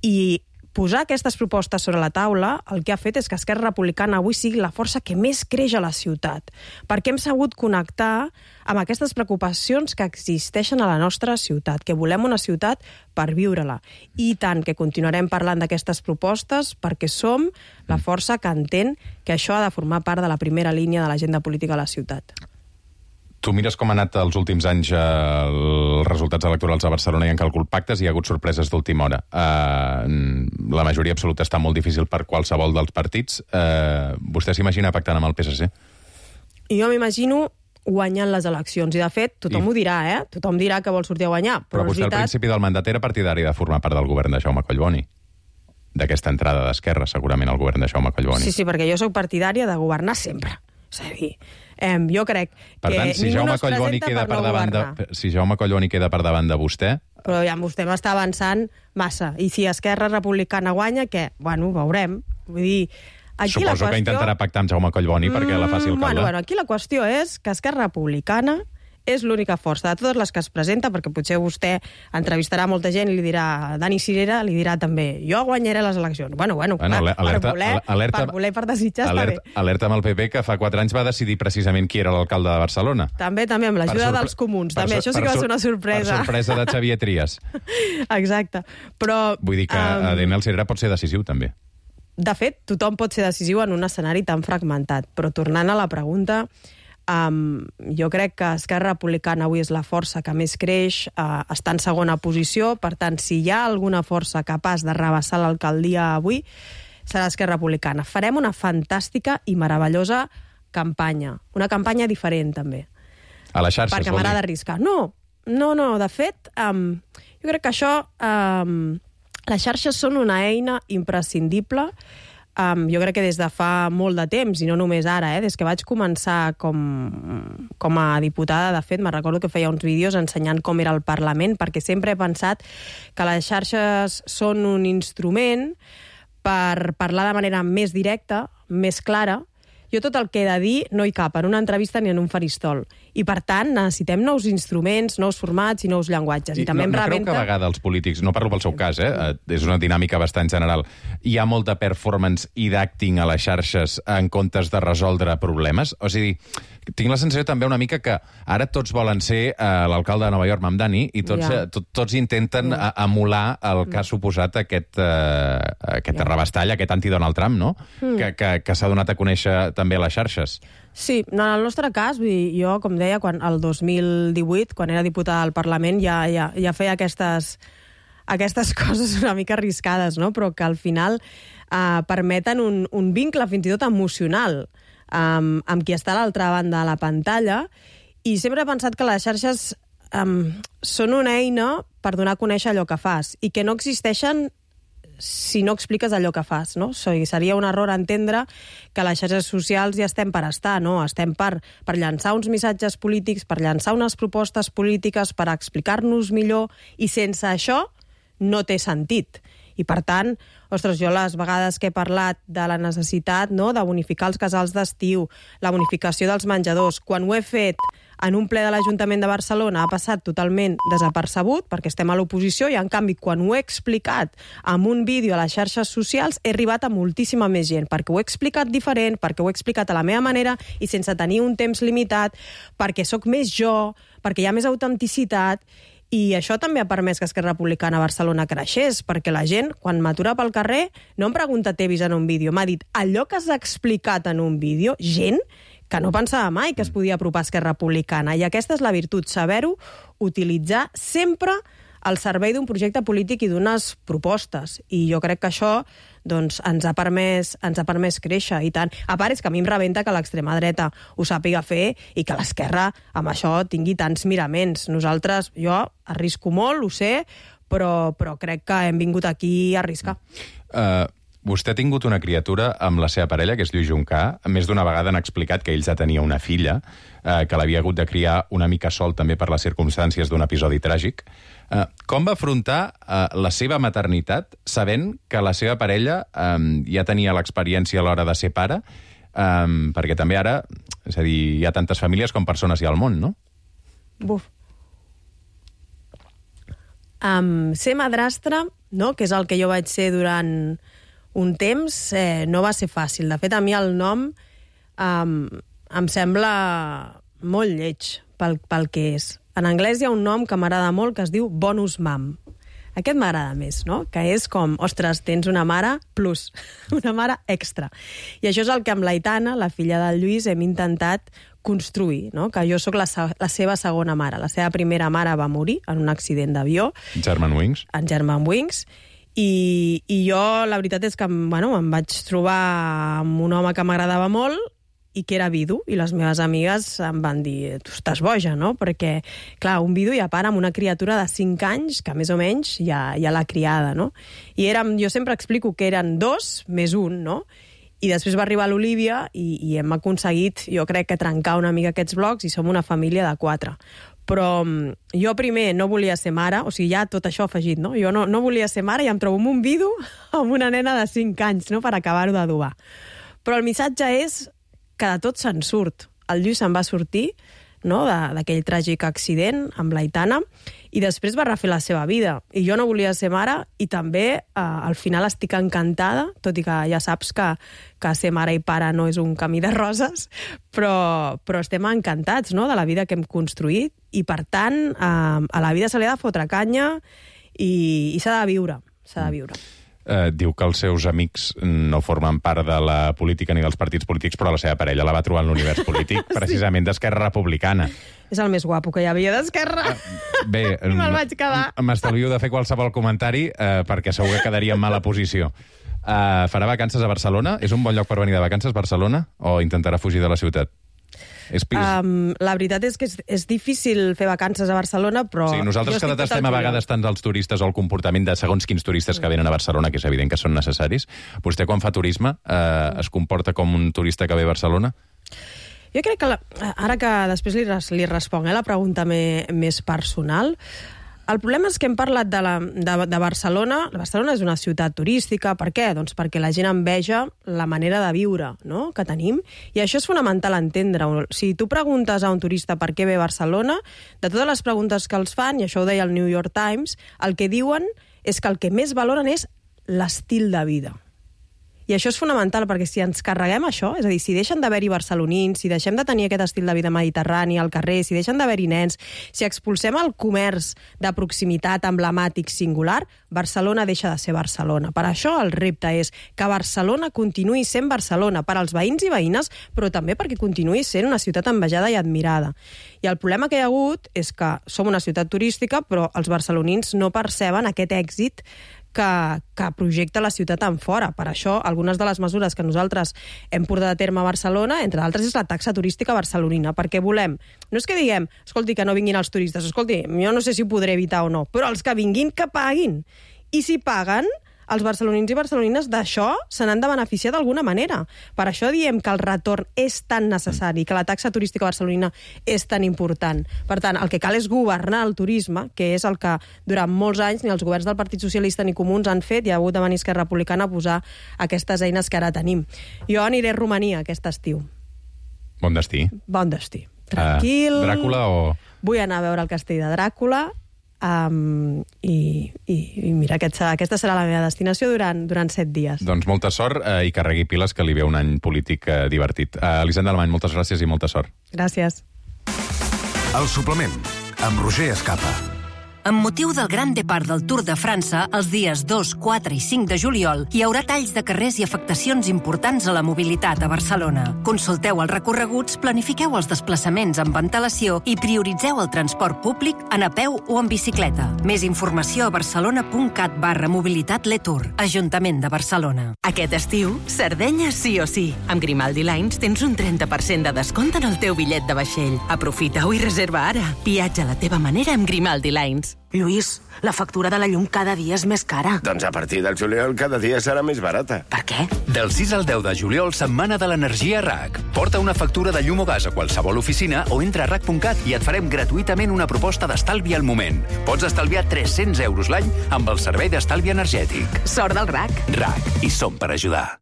Speaker 6: I posar aquestes propostes sobre la taula el que ha fet és que Esquerra Republicana avui sigui la força que més creix a la ciutat, perquè hem sabut connectar amb aquestes preocupacions que existeixen a la nostra ciutat, que volem una ciutat per viure-la. I tant que continuarem parlant d'aquestes propostes perquè som la força que entén que això ha de formar part de la primera línia de l'agenda política de la ciutat.
Speaker 5: Tu mires com han anat els últims anys eh, els resultats electorals a Barcelona i han calculat pactes i hi ha hagut sorpreses d'última hora. Eh, la majoria absoluta està molt difícil per qualsevol dels partits. Eh, vostè s'imagina pactant amb el P S C?
Speaker 6: Jo m'imagino guanyant les eleccions. I, de fet, tothom I... ho dirà, eh? Tothom dirà que vol sortir a guanyar.
Speaker 5: Però, però vostè veritat... al principi del mandat era partidari de formar part del govern de Jaume Collboni. D'aquesta entrada d'Esquerra, segurament, al govern de Jaume Collboni.
Speaker 6: Sí, sí, perquè jo sóc partidària de governar sempre. És a dir, eh, jo crec
Speaker 5: per
Speaker 6: que
Speaker 5: tant, si
Speaker 6: ningú
Speaker 5: Jaume
Speaker 6: no es
Speaker 5: Collboni
Speaker 6: presenta
Speaker 5: queda
Speaker 6: per no
Speaker 5: per davant
Speaker 6: governar.
Speaker 5: de, si Jaume Collboni queda per davant de vostè...
Speaker 6: Però ja vostè m'està avançant massa. I si Esquerra Republicana guanya, què? Bueno, ho veurem. Vull dir, aquí
Speaker 5: Suposo
Speaker 6: la qüestió...
Speaker 5: que intentarà pactar amb Jaume Collboni mm, perquè la faci alcalde.
Speaker 6: Bueno, bueno, aquí la qüestió és que Esquerra Republicana és l'única força de totes les que es presenta, perquè potser vostè entrevistarà molta gent i li dirà, Dani Sirera li dirà també, jo guanyaré les eleccions. Bueno, bueno,
Speaker 5: bueno
Speaker 6: clar,
Speaker 5: alerta,
Speaker 6: per, voler,
Speaker 5: alerta,
Speaker 6: per voler, per desitjar
Speaker 5: alerta,
Speaker 6: està bé.
Speaker 5: Alerta amb el P P, que fa quatre anys va decidir precisament qui era l'alcalde de Barcelona.
Speaker 6: També, també, amb l'ajuda dels comuns. També, això sí que va ser una sorpresa.
Speaker 5: Per sorpresa de Xavier Trias.
Speaker 6: Exacte. Però...
Speaker 5: Vull dir que um, Daniel Sirera pot ser decisiu, també.
Speaker 6: De fet, tothom pot ser decisiu en un escenari tan fragmentat. Però tornant a la pregunta... Um, jo crec que Esquerra Republicana avui és la força que més creix, uh, està en segona posició, per tant, si hi ha alguna força capaç de rebassar l'alcaldia avui, serà Esquerra Republicana. Farem una fantàstica i meravellosa campanya, una campanya diferent, també.
Speaker 5: A les xarxes,
Speaker 6: perquè m'agrada arriscar. No, no, no, de fet, um, jo crec que això, um, les xarxes són una eina imprescindible. Um, jo crec que des de fa molt de temps, i no només ara, eh, des que vaig començar com, com a diputada, de fet, me'n recordo que feia uns vídeos ensenyant com era el Parlament, perquè sempre he pensat que les xarxes són un instrument per parlar de manera més directa, més clara. Jo tot el que he de dir no hi cap en una entrevista ni en un faristol. I, per tant, necessitem nous instruments, nous formats i nous llenguatges. I, I també
Speaker 5: no,
Speaker 6: em
Speaker 5: no
Speaker 6: rebenta...
Speaker 5: creu que a vegades els polítics, no parlo pel seu cas, eh? És una dinàmica bastant general, hi ha molta performance i d'acting a les xarxes en comptes de resoldre problemes? O sigui, tinc la sensació també una mica que ara tots volen ser eh, l'alcalde de Nova York, Mamdani, i tots, ja. eh, tot, tots intenten ja. emular el que ha suposat aquest, eh, aquest ja. arrabastall, aquest anti-Donald Trump, no? Mm. Que, que, que s'ha donat a conèixer també a les xarxes.
Speaker 6: Sí, en el nostre cas, vull dir, jo, com deia, quan, el dos mil divuit, quan era diputada al Parlament, ja, ja, ja feia aquestes, aquestes coses una mica arriscades, no? Però que al final uh, permeten un, un vincle fins i tot emocional um, amb qui està a l'altra banda de la pantalla, i sempre he pensat que les xarxes um, són una eina per donar a conèixer allò que fas i que no existeixen si no expliques allò que fas, no? O sigui, seria un error entendre que les xarxes socials ja estem per estar, no? Estem per, per llançar uns missatges polítics, per llançar unes propostes polítiques, per explicar-nos millor, i sense això no té sentit. I, per tant, ostres, jo les vegades que he parlat de la necessitat, no?, de bonificar els casals d'estiu, la bonificació dels menjadors, quan ho he fet en un ple de l'Ajuntament de Barcelona ha passat totalment desapercebut, perquè estem a l'oposició, i en canvi, quan ho he explicat amb un vídeo a les xarxes socials, he arribat a moltíssima més gent, perquè ho he explicat diferent, perquè ho he explicat a la meva manera i sense tenir un temps limitat, perquè sóc més jo, perquè hi ha més autenticitat. I això també ha permès que Esquerra Republicana a Barcelona creixés, perquè la gent, quan m'atura pel carrer, no em pregunta t'he vist en un vídeo, m'ha dit allò que has explicat en un vídeo, gent que no pensava mai que es podia apropar a Esquerra Republicana. I aquesta és la virtut, saber-ho utilitzar sempre al servei d'un projecte polític i d'unes propostes. I jo crec que això doncs, ens ha permès, ens ha permès créixer, i tant. A part, és que a mi em rebenta que l'extrema dreta ho sàpiga fer i que l'esquerra amb això tingui tants miraments. Nosaltres, jo arrisco molt, ho sé, però, però crec que hem vingut aquí a arriscar.
Speaker 5: Uh, vostè ha tingut una criatura amb la seva parella, que és Lluís Juncà. Més d'una vegada han explicat que ell ja tenia una filla, uh, que l'havia hagut de criar una mica sol també per les circumstàncies d'un episodi tràgic. Uh, com va afrontar uh, la seva maternitat sabent que la seva parella um, ja tenia l'experiència a l'hora de ser pare? Um, perquè també ara, és a dir, hi ha tantes famílies com persones hi ha al món, no?
Speaker 6: Buf. Um, ser madrastra, no?, que és el que jo vaig ser durant un temps, eh, no va ser fàcil. De fet, a mi el nom um, em sembla molt lleig pel, pel que és. En anglès hi ha un nom que m'agrada molt que es diu bonus mom. Aquest m'agrada més, no? Que és com, ostres, tens una mare plus, una mare extra. I això és el que amb l'Aitana, la filla del Lluís, hem intentat construir, no? Que jo sóc la, la seva segona mare. La seva primera mare va morir en un accident d'avió.
Speaker 5: Germanwings.
Speaker 6: En Germanwings. I, i jo, la veritat és que bueno, em vaig trobar amb un home que m'agradava molt i que era vidu, i les meves amigues em van dir, tu estàs boja, no? Perquè, clar, un vidu ja para amb una criatura de cinc anys, que més o menys ja, ja l'ha criada, no? I érem, jo sempre explico que eren dos més un, no? I després va arribar l'Olívia i, i hem aconseguit, jo crec, que trencar una mica aquests blocs, i som una família de quatre. Però jo primer no volia ser mare, o sigui, ja tot això afegit, no? Jo no, no volia ser mare i em trobo amb un vidu amb una nena de cinc anys, no?, per acabar-ho d'adobar. Però el missatge és que de tot se'n surt. El Lluís se'n va sortir, no?, d'aquell tràgic accident amb l'Aitana, i després va refer la seva vida. I jo no volia ser mare, i també eh, al final estic encantada, tot i que ja saps que, que ser mare i pare no és un camí de roses, però, però estem encantats, no?, de la vida que hem construït, i per tant eh, a la vida se li ha de fotre canya i, i s'ha de viure, s'ha de viure.
Speaker 5: Eh, diu que els seus amics no formen part de la política ni dels partits polítics, però la seva parella la va trobar en l'univers polític precisament d'Esquerra Republicana.
Speaker 6: És el més guapo que hi havia d'Esquerra.
Speaker 5: Bé,
Speaker 6: I me'l vaig quedar.
Speaker 5: M'estalvio de fer qualsevol comentari eh, perquè segur que quedaria en mala posició. Eh, farà vacances a Barcelona? És un bon lloc per venir de vacances, Barcelona? O intentarà fugir de la ciutat? És
Speaker 6: um, la veritat és que és, és difícil fer vacances a Barcelona, però...
Speaker 5: Sí, nosaltres que detestem a vegades tant els turistes o el comportament de segons quins turistes que venen a Barcelona, que és evident que són necessaris. Vostè, quan fa turisme, eh, es comporta com un turista que ve a Barcelona?
Speaker 6: Jo crec que, la, ara que després li, li responc eh, la pregunta me, més personal, el problema és que hem parlat de, la, de, de Barcelona. Barcelona és una ciutat turística. Per què? Doncs perquè la gent enveja la manera de viure, no?, que tenim. I això és fonamental entendre. Si tu preguntes a un turista per què ve a Barcelona, de totes les preguntes que els fan, i això ho deia el New York Times, el que diuen és que el que més valoren és l'estil de vida. I això és fonamental, perquè si ens carreguem això, és a dir, si deixen d'haver-hi barcelonins, si deixem de tenir aquest estil de vida mediterrani al carrer, si deixen d'haver-hi nens, si expulsem el comerç de proximitat emblemàtic singular, Barcelona deixa de ser Barcelona. Per això el repte és que Barcelona continuï sent Barcelona, per als veïns i veïnes, però també perquè continuï sent una ciutat envejada i admirada. I el problema que hi ha hagut és que som una ciutat turística, però els barcelonins no perceben aquest èxit que, que projecta la ciutat en fora. Per això, algunes de les mesures que nosaltres hem portat a terme a Barcelona, entre d'altres, és la taxa turística barcelonina, perquè volem, no és que diguem, escolti, que no vinguin els turistes, escolti, jo no sé si ho podré evitar o no, però els que vinguin, que paguin. I si paguen, els barcelonins i barcelonines d'això se n'han de beneficiar d'alguna manera. Per això diem que el retorn és tan necessari, que la taxa turística barcelonina és tan important. Per tant, el que cal és governar el turisme, que és el que durant molts anys ni els governs del Partit Socialista ni Comuns han fet, i ha hagut de venir Esquerra Republicana a posar aquestes eines que ara tenim. Jo aniré a Romania aquest estiu.
Speaker 5: Bon destí.
Speaker 6: Bon destí. Tranquil.
Speaker 5: Uh, Dràcula o...
Speaker 6: Vull anar a veure el castell de Dràcula. Um, i, i, i mira, aquest, aquesta serà la meva destinació durant, durant set dies.
Speaker 5: Doncs molta sort eh, i carregui piles, que li ve un any polític eh, divertit. Uh, Elisenda Alemany, moltes gràcies i molta sort.
Speaker 6: Gràcies.
Speaker 1: El suplement, amb Roger Escapa.
Speaker 7: Amb motiu del Gran Depart del Tour de França, els dies dos, quatre i cinc de juliol, hi haurà talls de carrers i afectacions importants a la mobilitat a Barcelona. Consulteu els recorreguts, planifiqueu els desplaçaments amb antelació i prioritzeu el transport públic en a peu o en bicicleta. Més informació a barcelona.cat barra mobilitat Letour, Ajuntament de Barcelona.
Speaker 8: Aquest estiu, Sardenya sí o sí. Amb Grimaldi Lines tens un trenta per cent de descompte en el teu bitllet de vaixell. Aprofita-ho i reserva ara. Viatja a la teva manera amb Grimaldi Lines.
Speaker 9: Lluís, la factura de la llum cada dia és més cara.
Speaker 10: Doncs a partir del juliol cada dia serà més barata.
Speaker 9: Per què?
Speaker 11: Del sis al deu de juliol, setmana de l'energia R A C. Porta una factura de llum o gas a qualsevol oficina o entra a R A C punt cat i et farem gratuïtament una proposta d'estalvi al moment. Pots estalviar tres-cents euros l'any amb el servei d'estalvi energètic.
Speaker 8: Sort del R A C.
Speaker 11: R A C. I som per ajudar.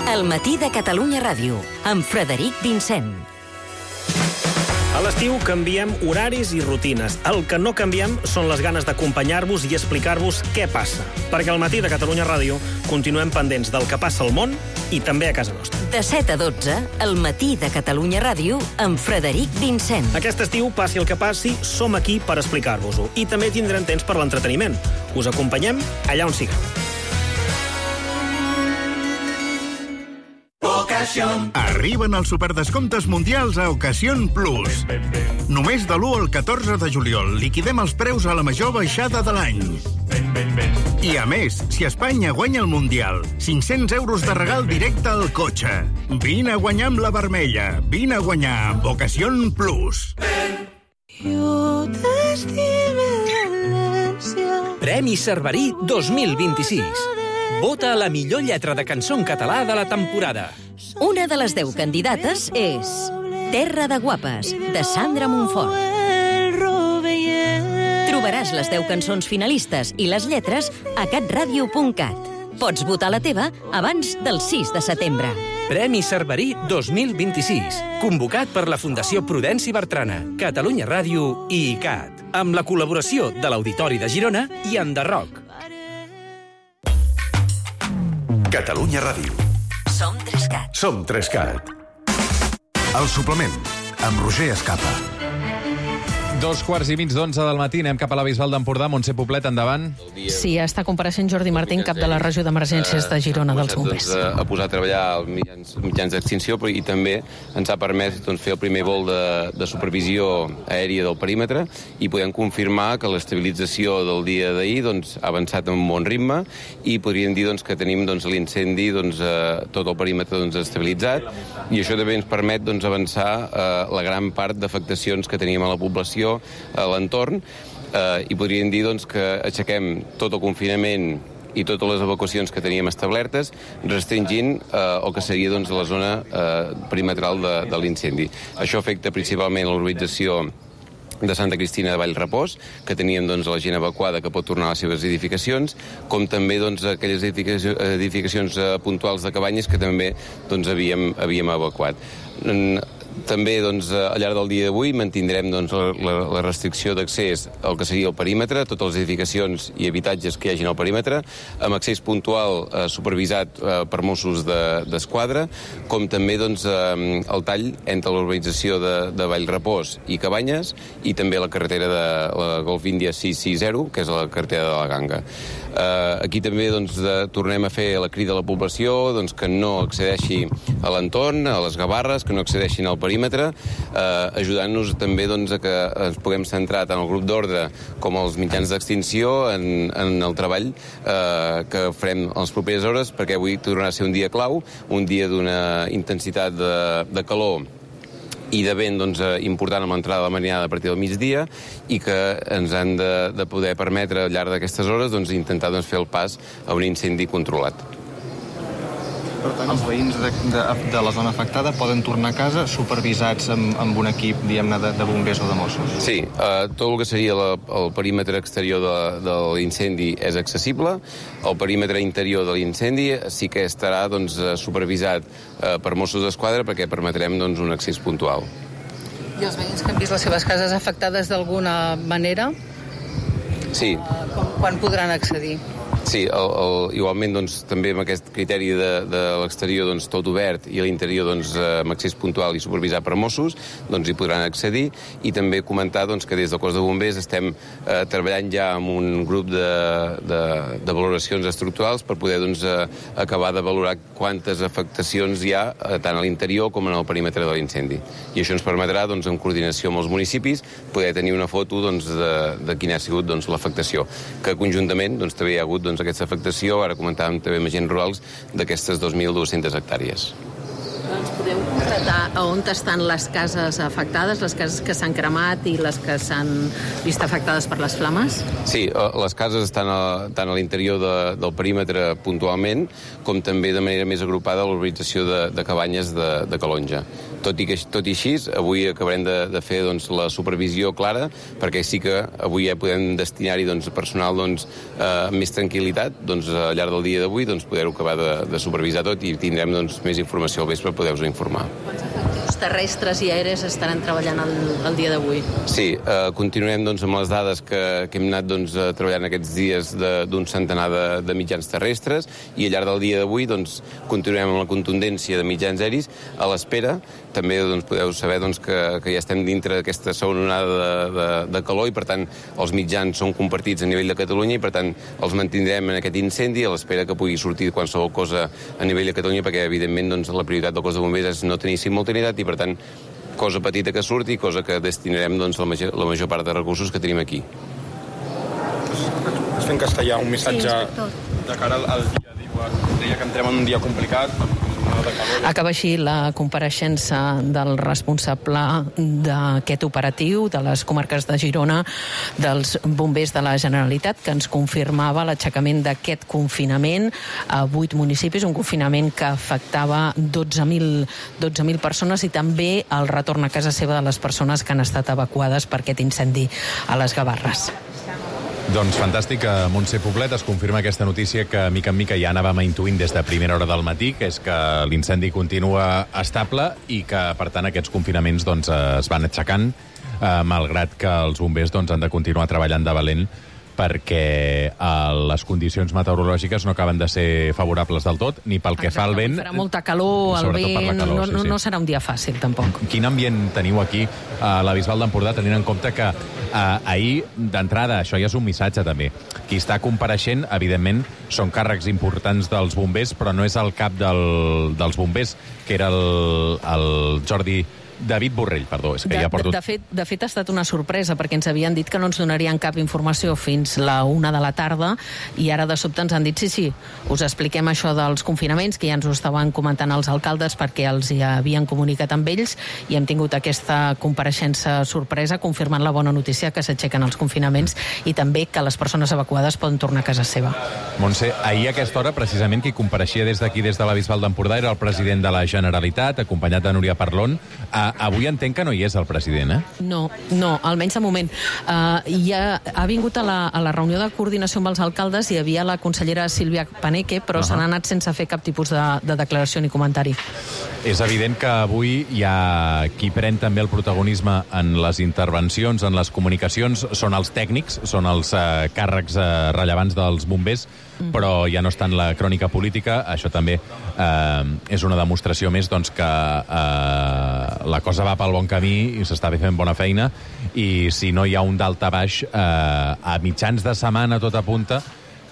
Speaker 7: El matí de Catalunya Ràdio, amb Frederic Vincent.
Speaker 12: A l'estiu canviem horaris i rutines. El que no canviem són les ganes d'acompanyar-vos i explicar-vos què passa. Perquè al matí de Catalunya Ràdio continuem pendents del que passa al món i també a casa nostra.
Speaker 7: De set a dotze, el matí de Catalunya Ràdio amb Frederic Vincent.
Speaker 12: Aquest estiu, passi el que passi, som aquí per explicar-vos-ho. I també tindrem temps per l'entreteniment. Us acompanyem allà on sigueu.
Speaker 13: Arriben els superdescomptes mundials a Ocasión Plus. Només de l'u al catorze de juliol liquidem els preus a la major baixada de l'any. I a més, si Espanya guanya el Mundial, cinc-cents euros de regal directe al cotxe. Vine a guanyar amb la vermella. Vine a guanyar amb Ocasión Plus.
Speaker 14: Premi Cerverí dos mil vint-i-sis. Vota la millor lletra de cançó en català de la temporada.
Speaker 7: Una de les deu candidates és Terra de Guapes, de Sandra Montfort. Trobaràs les deu cançons finalistes i les lletres a catradio punt cat. Pots votar la teva abans del sis de setembre.
Speaker 14: Premi Cerverí dos mil vint-i-sis, convocat per la Fundació Prudenci Bertrana, Catalunya Ràdio i I C A T, amb la col·laboració de l'Auditori de Girona i Enderroc.
Speaker 1: Catalunya Ràdio.
Speaker 7: Som Trescat.
Speaker 1: Som Trescat. El suplement, amb Roger Escapa.
Speaker 5: Dos quarts i mig d'onze del matí, anem cap a la Bisbal d'Empordà. Montse Poblet, endavant.
Speaker 3: Sí, està compareixent Jordi Martín, cap de la regió d'emergències de Girona dels bombers.
Speaker 15: Doncs, a posar a treballar els mitjans, mitjans d'extinció i també ens ha permès doncs, fer el primer vol de, de supervisió aèria del perímetre i podem confirmar que l'estabilització del dia d'ahir doncs, ha avançat amb un bon ritme i podríem dir doncs, que tenim doncs, l'incendi doncs, eh, tot el perímetre doncs, estabilitzat i això també ens permet doncs, avançar eh, la gran part d'afectacions que teníem a la població a l'entorn eh, i podríem dir doncs, que aixequem tot el confinament i totes les evacuacions que teníem establertes, restringint eh, el que seria doncs, la zona eh, perimetral de, de l'incendi. Això afecta principalment l'urbanització de Santa Cristina de Vallrepòs, que teníem doncs, la gent evacuada que pot tornar a les seves edificacions, com també doncs, aquelles edificacions, edificacions eh, puntuals de cabanyes que també doncs, havíem, havíem evacuat. També doncs, al llarg del dia d'avui mantindrem doncs, la, la restricció d'accés al que seria el perímetre, totes les edificacions i habitatges que hi hagin al perímetre, amb accés puntual eh, supervisat eh, per Mossos d'Esquadra, de, com també doncs, eh, el tall entre l'urbanització de, de Vallrepòs i Cabanyes i també la carretera de la Golf Índia sis sis zero, que és la carretera de la Ganga. Eh, aquí també doncs, de, tornem a fer la crida a la població doncs, que no accedeixi a l'entorn, a les Gavarres, que no accedeixin al perímetre perímetre, eh, ajudant-nos també doncs, a que ens puguem centrar tant el grup d'ordre com els mitjans d'extinció en, en el treball eh, que farem en les properes hores, perquè avui tornarà a ser un dia clau, un dia d'una intensitat de, de calor i de vent doncs, important amb l'entrada de la marinada a partir del migdia i que ens han de, de poder permetre al llarg d'aquestes hores doncs, intentar doncs, fer el pas a un incendi controlat.
Speaker 16: Per tant, els veïns de, de, de la zona afectada poden tornar a casa supervisats amb, amb un equip, diguem-ne, de, de bombers o de Mossos?
Speaker 15: Sí, eh, tot el que seria la, el perímetre exterior de, de l'incendi és accessible. El perímetre interior de l'incendi sí que estarà doncs, supervisat eh, per Mossos d'Esquadra perquè permetrem doncs, un accés puntual.
Speaker 3: I els veïns que han vist les seves cases afectades d'alguna manera?
Speaker 15: Sí.
Speaker 3: Eh, com, quan podran accedir?
Speaker 15: Sí, el, el, igualment doncs, també amb aquest criteri de, de l'exterior doncs, tot obert i a l'interior doncs, amb accés puntual i supervisat per Mossos doncs, hi podran accedir i també comentar doncs, que des del cos de bombers estem eh, treballant ja amb un grup de, de, de valoracions estructurals per poder doncs, eh, acabar de valorar quantes afectacions hi ha eh, tant a l'interior com en el perímetre de l'incendi. I això ens permetrà, doncs, en coordinació amb els municipis, poder tenir una foto doncs, de, de quina ha sigut doncs, l'afectació, que conjuntament doncs, també hi ha hagut doncs, aquesta afectació, ara comentàvem també amb agents rurals, d'aquestes dos mil dues-centes hectàrees.
Speaker 3: Ens podeu concretar a on estan les cases afectades, les cases que s'han cremat i les que s'han vist afectades per les flames?
Speaker 15: Sí, les cases estan a, tant a l'interior de, del perímetre puntualment, com també de manera més agrupada a l'urbanització de, de Cabanyes de, de Calonja. Tot i, que, tot i així, avui acabarem de, de fer doncs, la supervisió clara, perquè sí que avui ja podem destinar-hi doncs, personal doncs, eh, més tranquil·litat, doncs, al llarg del dia d'avui doncs, poder-ho acabar de, de supervisar tot i tindrem doncs, més informació al vespre per poder-vos informar.
Speaker 3: Quants efectius terrestres i aèries estaran treballant el, el dia d'avui?
Speaker 15: Sí, eh, continuem doncs, amb les dades que, que hem anat doncs, treballant aquests dies d'un centenar de, de mitjans terrestres i al llarg del dia d'avui doncs, continuem amb la contundència de mitjans aeris a l'espera. També doncs, podeu saber doncs, que, que ja estem dintre d'aquesta segona onada de, de, de calor i, per tant, els mitjans són compartits a nivell de Catalunya i, per tant, els mantindrem en aquest incendi a l'espera que pugui sortir qualsevol cosa a nivell de Catalunya perquè, evidentment, doncs, la prioritat del cos de bombers és no tenir simultaneïtat i, per tant, cosa petita que surti, cosa que destinarem doncs, la, major, la major part de recursos que tenim aquí.
Speaker 16: Es fent castellà un missatge sí, de cara al, al dia. Deia que entrem en un dia complicat,
Speaker 3: Acaba així la compareixença del responsable d'aquest operatiu de les comarques de Girona, dels bombers de la Generalitat, que ens confirmava l'aixecament d'aquest confinament a vuit municipis, un confinament que afectava dotze mil persones i també el retorn a casa seva de les persones que han estat evacuades per aquest incendi a les Gavarres.
Speaker 5: Doncs fantàstic, a Montse Poblet es confirma aquesta notícia que mica en mica ja anàvem intuint des de primera hora del matí, que és que l'incendi continua estable i que, per tant, aquests confinaments doncs, es van aixecant, eh, malgrat que els bombers doncs, han de continuar treballant de valent perquè eh, les condicions meteorològiques no acaben de ser favorables del tot, ni pel que Exacte, fa al vent...
Speaker 3: Farà molta calor, el vent, calor, no, sí, sí. no serà un dia fàcil, tampoc.
Speaker 5: Quin ambient teniu aquí a la Bisbal d'Empordà, tenint en compte que eh, ahir, d'entrada, això ja és un missatge també. Qui està compareixent, evidentment, són càrrecs importants dels bombers, però no és el cap del, dels bombers, que era el, el Jordi... David Borrell, perdó, és que
Speaker 3: de,
Speaker 5: ja porto...
Speaker 3: De, de, fet, de fet, ha estat una sorpresa, perquè ens havien dit que no ens donarien cap informació fins la una de la tarda, i ara de sobte ens han dit, sí, sí, us expliquem això dels confinaments, que ja ens ho estaven comentant els alcaldes perquè els hi havien comunicat amb ells, i hem tingut aquesta compareixença sorpresa, confirmant la bona notícia que s'aixequen els confinaments i també que les persones evacuades poden tornar a casa seva.
Speaker 5: Montse, ahir a aquesta hora, precisament, qui compareixia des d'aquí, des de la Bisbal d'Empordà, era el president de la Generalitat, acompanyat de Núria Parlon. A Avui entenc que no hi és el president, eh?
Speaker 3: No, no, almenys de moment. Uh, ja ha vingut a la, a la reunió de coordinació amb els alcaldes, hi havia la consellera Sílvia Paneque, però uh-huh. se n'ha anat sense fer cap tipus de, de declaració ni comentari.
Speaker 5: És evident que avui hi ha qui pren també el protagonisme en les intervencions, en les comunicacions, són els tècnics, són els uh, càrrecs uh, rellevants dels bombers, mm. però ja no està en la crònica política. Això també eh, és una demostració més doncs, que eh, la cosa va pel bon camí i s'està fent bona feina, i si no hi ha un dalt a baix, eh, a mitjans de setmana tot apunta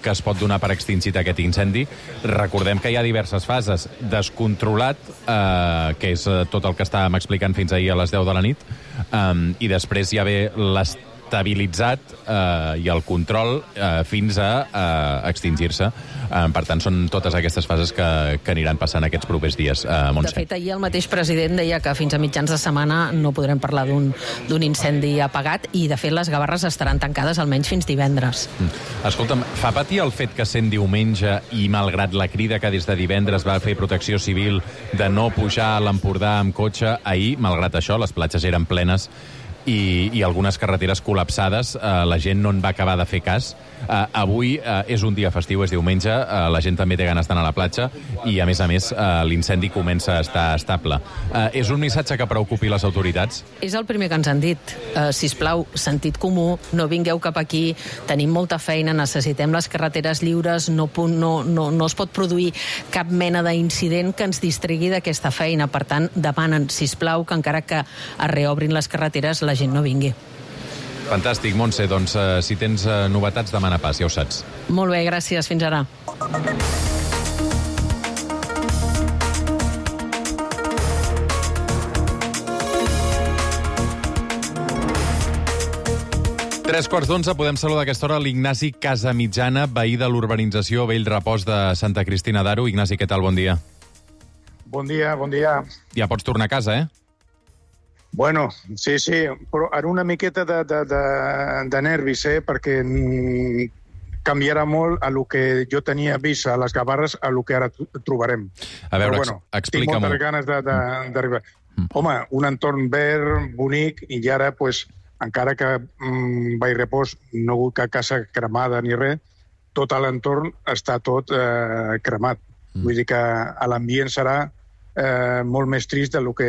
Speaker 5: que es pot donar per extingit aquest incendi. Recordem que hi ha diverses fases. Descontrolat, eh, que és tot el que estàvem explicant fins ahir a les deu de la nit, eh, i després hi ha ve l'estabilitzat eh, i el control eh, fins a eh, extingir-se. Eh, per tant, són totes aquestes fases que, que aniran passant aquests propers dies. Eh, Montse.
Speaker 3: De fet, ahir el mateix president deia que fins a mitjans de setmana no podrem parlar d'un d'un incendi apagat i, de fet, les Gavarres estaran tancades almenys fins divendres.
Speaker 5: Mm. Escolta'm, fa patir el fet que sent diumenge i malgrat la crida que des de divendres va fer Protecció Civil de no pujar a l'Empordà amb cotxe, ahir, malgrat això, les platges eren plenes i, i algunes carreteres col·lapsades, eh, la gent no en va acabar de fer cas. Eh, avui eh, és un dia festiu, és diumenge, eh, la gent també té ganes d'anar a la platja i, a més a més, eh, l'incendi comença a estar estable. Eh, és un missatge que preocupi les autoritats?
Speaker 3: És el primer que ens han dit. Uh, sisplau, sentit comú, no vingueu cap aquí, tenim molta feina, necessitem les carreteres lliures, no, no, no, no es pot produir cap mena d'incident que ens distrigui d'aquesta feina. Per tant, demanen, sisplau, que encara que es reobrin les carreteres, la gent no vingui.
Speaker 5: Fantàstic, Montse. Doncs eh, si tens eh, novetats, demana pas, ja ho saps.
Speaker 3: Molt bé, gràcies. Fins ara.
Speaker 5: Tres quarts d'onze, podem saludar a aquesta hora l'Ignasi Casamitjana, veí de l'urbanització Vell Repòs de Santa Cristina d'Aro. Ignasi, què tal? Bon dia.
Speaker 17: Bon dia, bon dia.
Speaker 5: Ja pots tornar a casa, eh?
Speaker 17: Bueno, sí, sí, però ara una miqueta de, de, de, de nervis, eh? Perquè canviarà molt a lo que jo tenia vist a les Gavarres a lo que ara trobarem.
Speaker 5: A veure,
Speaker 17: però, bueno,
Speaker 5: explica-m'ho.
Speaker 17: Tinc moltes ganes d'arribar. Mm. Home, un entorn verd, bonic, i ara, pues, encara que mm, Vall Repòs no ha hagut cap casa cremada ni res, tot l'entorn està tot eh, cremat. Mm. Vull dir que l'ambient serà Eh, molt més trist del que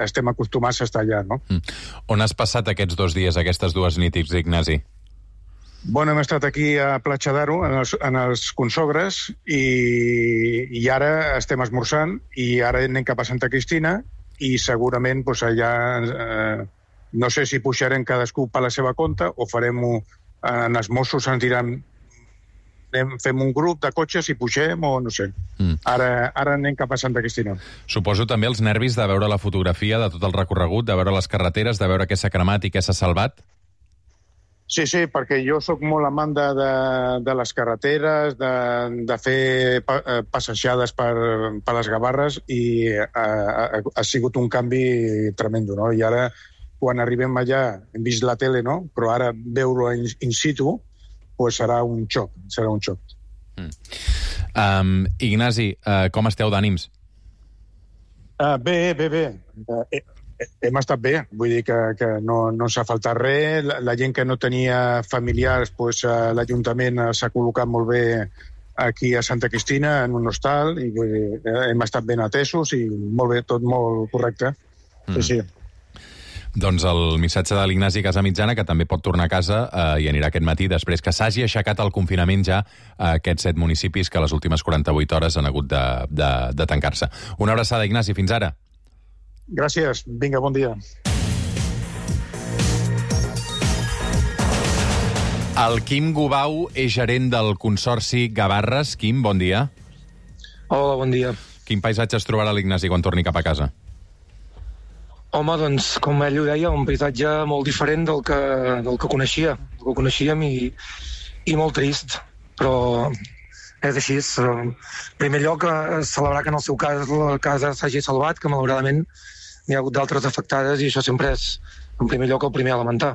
Speaker 17: estem acostumats a estar allà, no?
Speaker 5: Mm. On has passat aquests dos dies, aquestes dues nits, Ignasi?
Speaker 17: Bueno, hem estat aquí a Platja d'Aro, en els, en els consogres, i, i ara estem esmorzant, i ara anem cap a Santa Cristina, i segurament pues, allà, eh, no sé si pujarem cadascú per la seva compte, o farem-ho, en els Mossos ens diran fem un grup de cotxes i pugem o no sé. Mm. Ara, ara anem cap a Santa Cristina.
Speaker 5: Suposo també els nervis de veure la fotografia de tot el recorregut, de veure les carreteres, de veure què s'ha cremat i què s'ha salvat?
Speaker 17: Sí, sí, perquè jo sóc molt amant de, de, de les carreteres, de, de fer pa, passejades per, per les Gavarres i ha, ha, ha sigut un canvi tremendo, no? I ara, quan arribem allà, hem vist la tele, no? Però ara veure-ho in, in situ, pues serà un xoc, serà un xoc.
Speaker 5: Mm. Um, Ignasi, uh, com esteu d'ànims?
Speaker 17: Uh, bé, bé, bé. Uh, eh, hem estat bé, vull dir que, que no, no s'ha faltat res. La, la gent que no tenia familiars, pues, uh, l'Ajuntament s'ha col·locat molt bé aquí a Santa Cristina, en un hostal, i vull dir, hem estat ben atesos i molt bé, tot molt correcte. Mm. Sí, sí.
Speaker 5: Doncs el missatge de l'Ignasi Casamitjana, que també pot tornar a casa eh, i anirà aquest matí després que s'hagi aixecat el confinament ja a aquests set municipis que a les últimes quaranta-vuit hores han hagut de, de, de tancar-se. Una abraçada, Ignasi. Fins ara.
Speaker 17: Gràcies. Vinga, bon dia.
Speaker 5: El Quim Gubau és gerent del Consorci Gavarres. Quim, bon dia.
Speaker 18: Hola, bon dia.
Speaker 5: Quin paisatge es trobarà l'Ignasi quan torni cap a casa?
Speaker 18: Home, doncs, com ell ho deia, un paisatge molt diferent del que, del que coneixia, del que coneixíem i, i molt trist, però és així. En primer lloc, celebrar que en el seu cas la casa s'hagi salvat, que malauradament n'hi ha hagut d'altres afectades i això sempre és, en primer lloc, el primer a lamentar.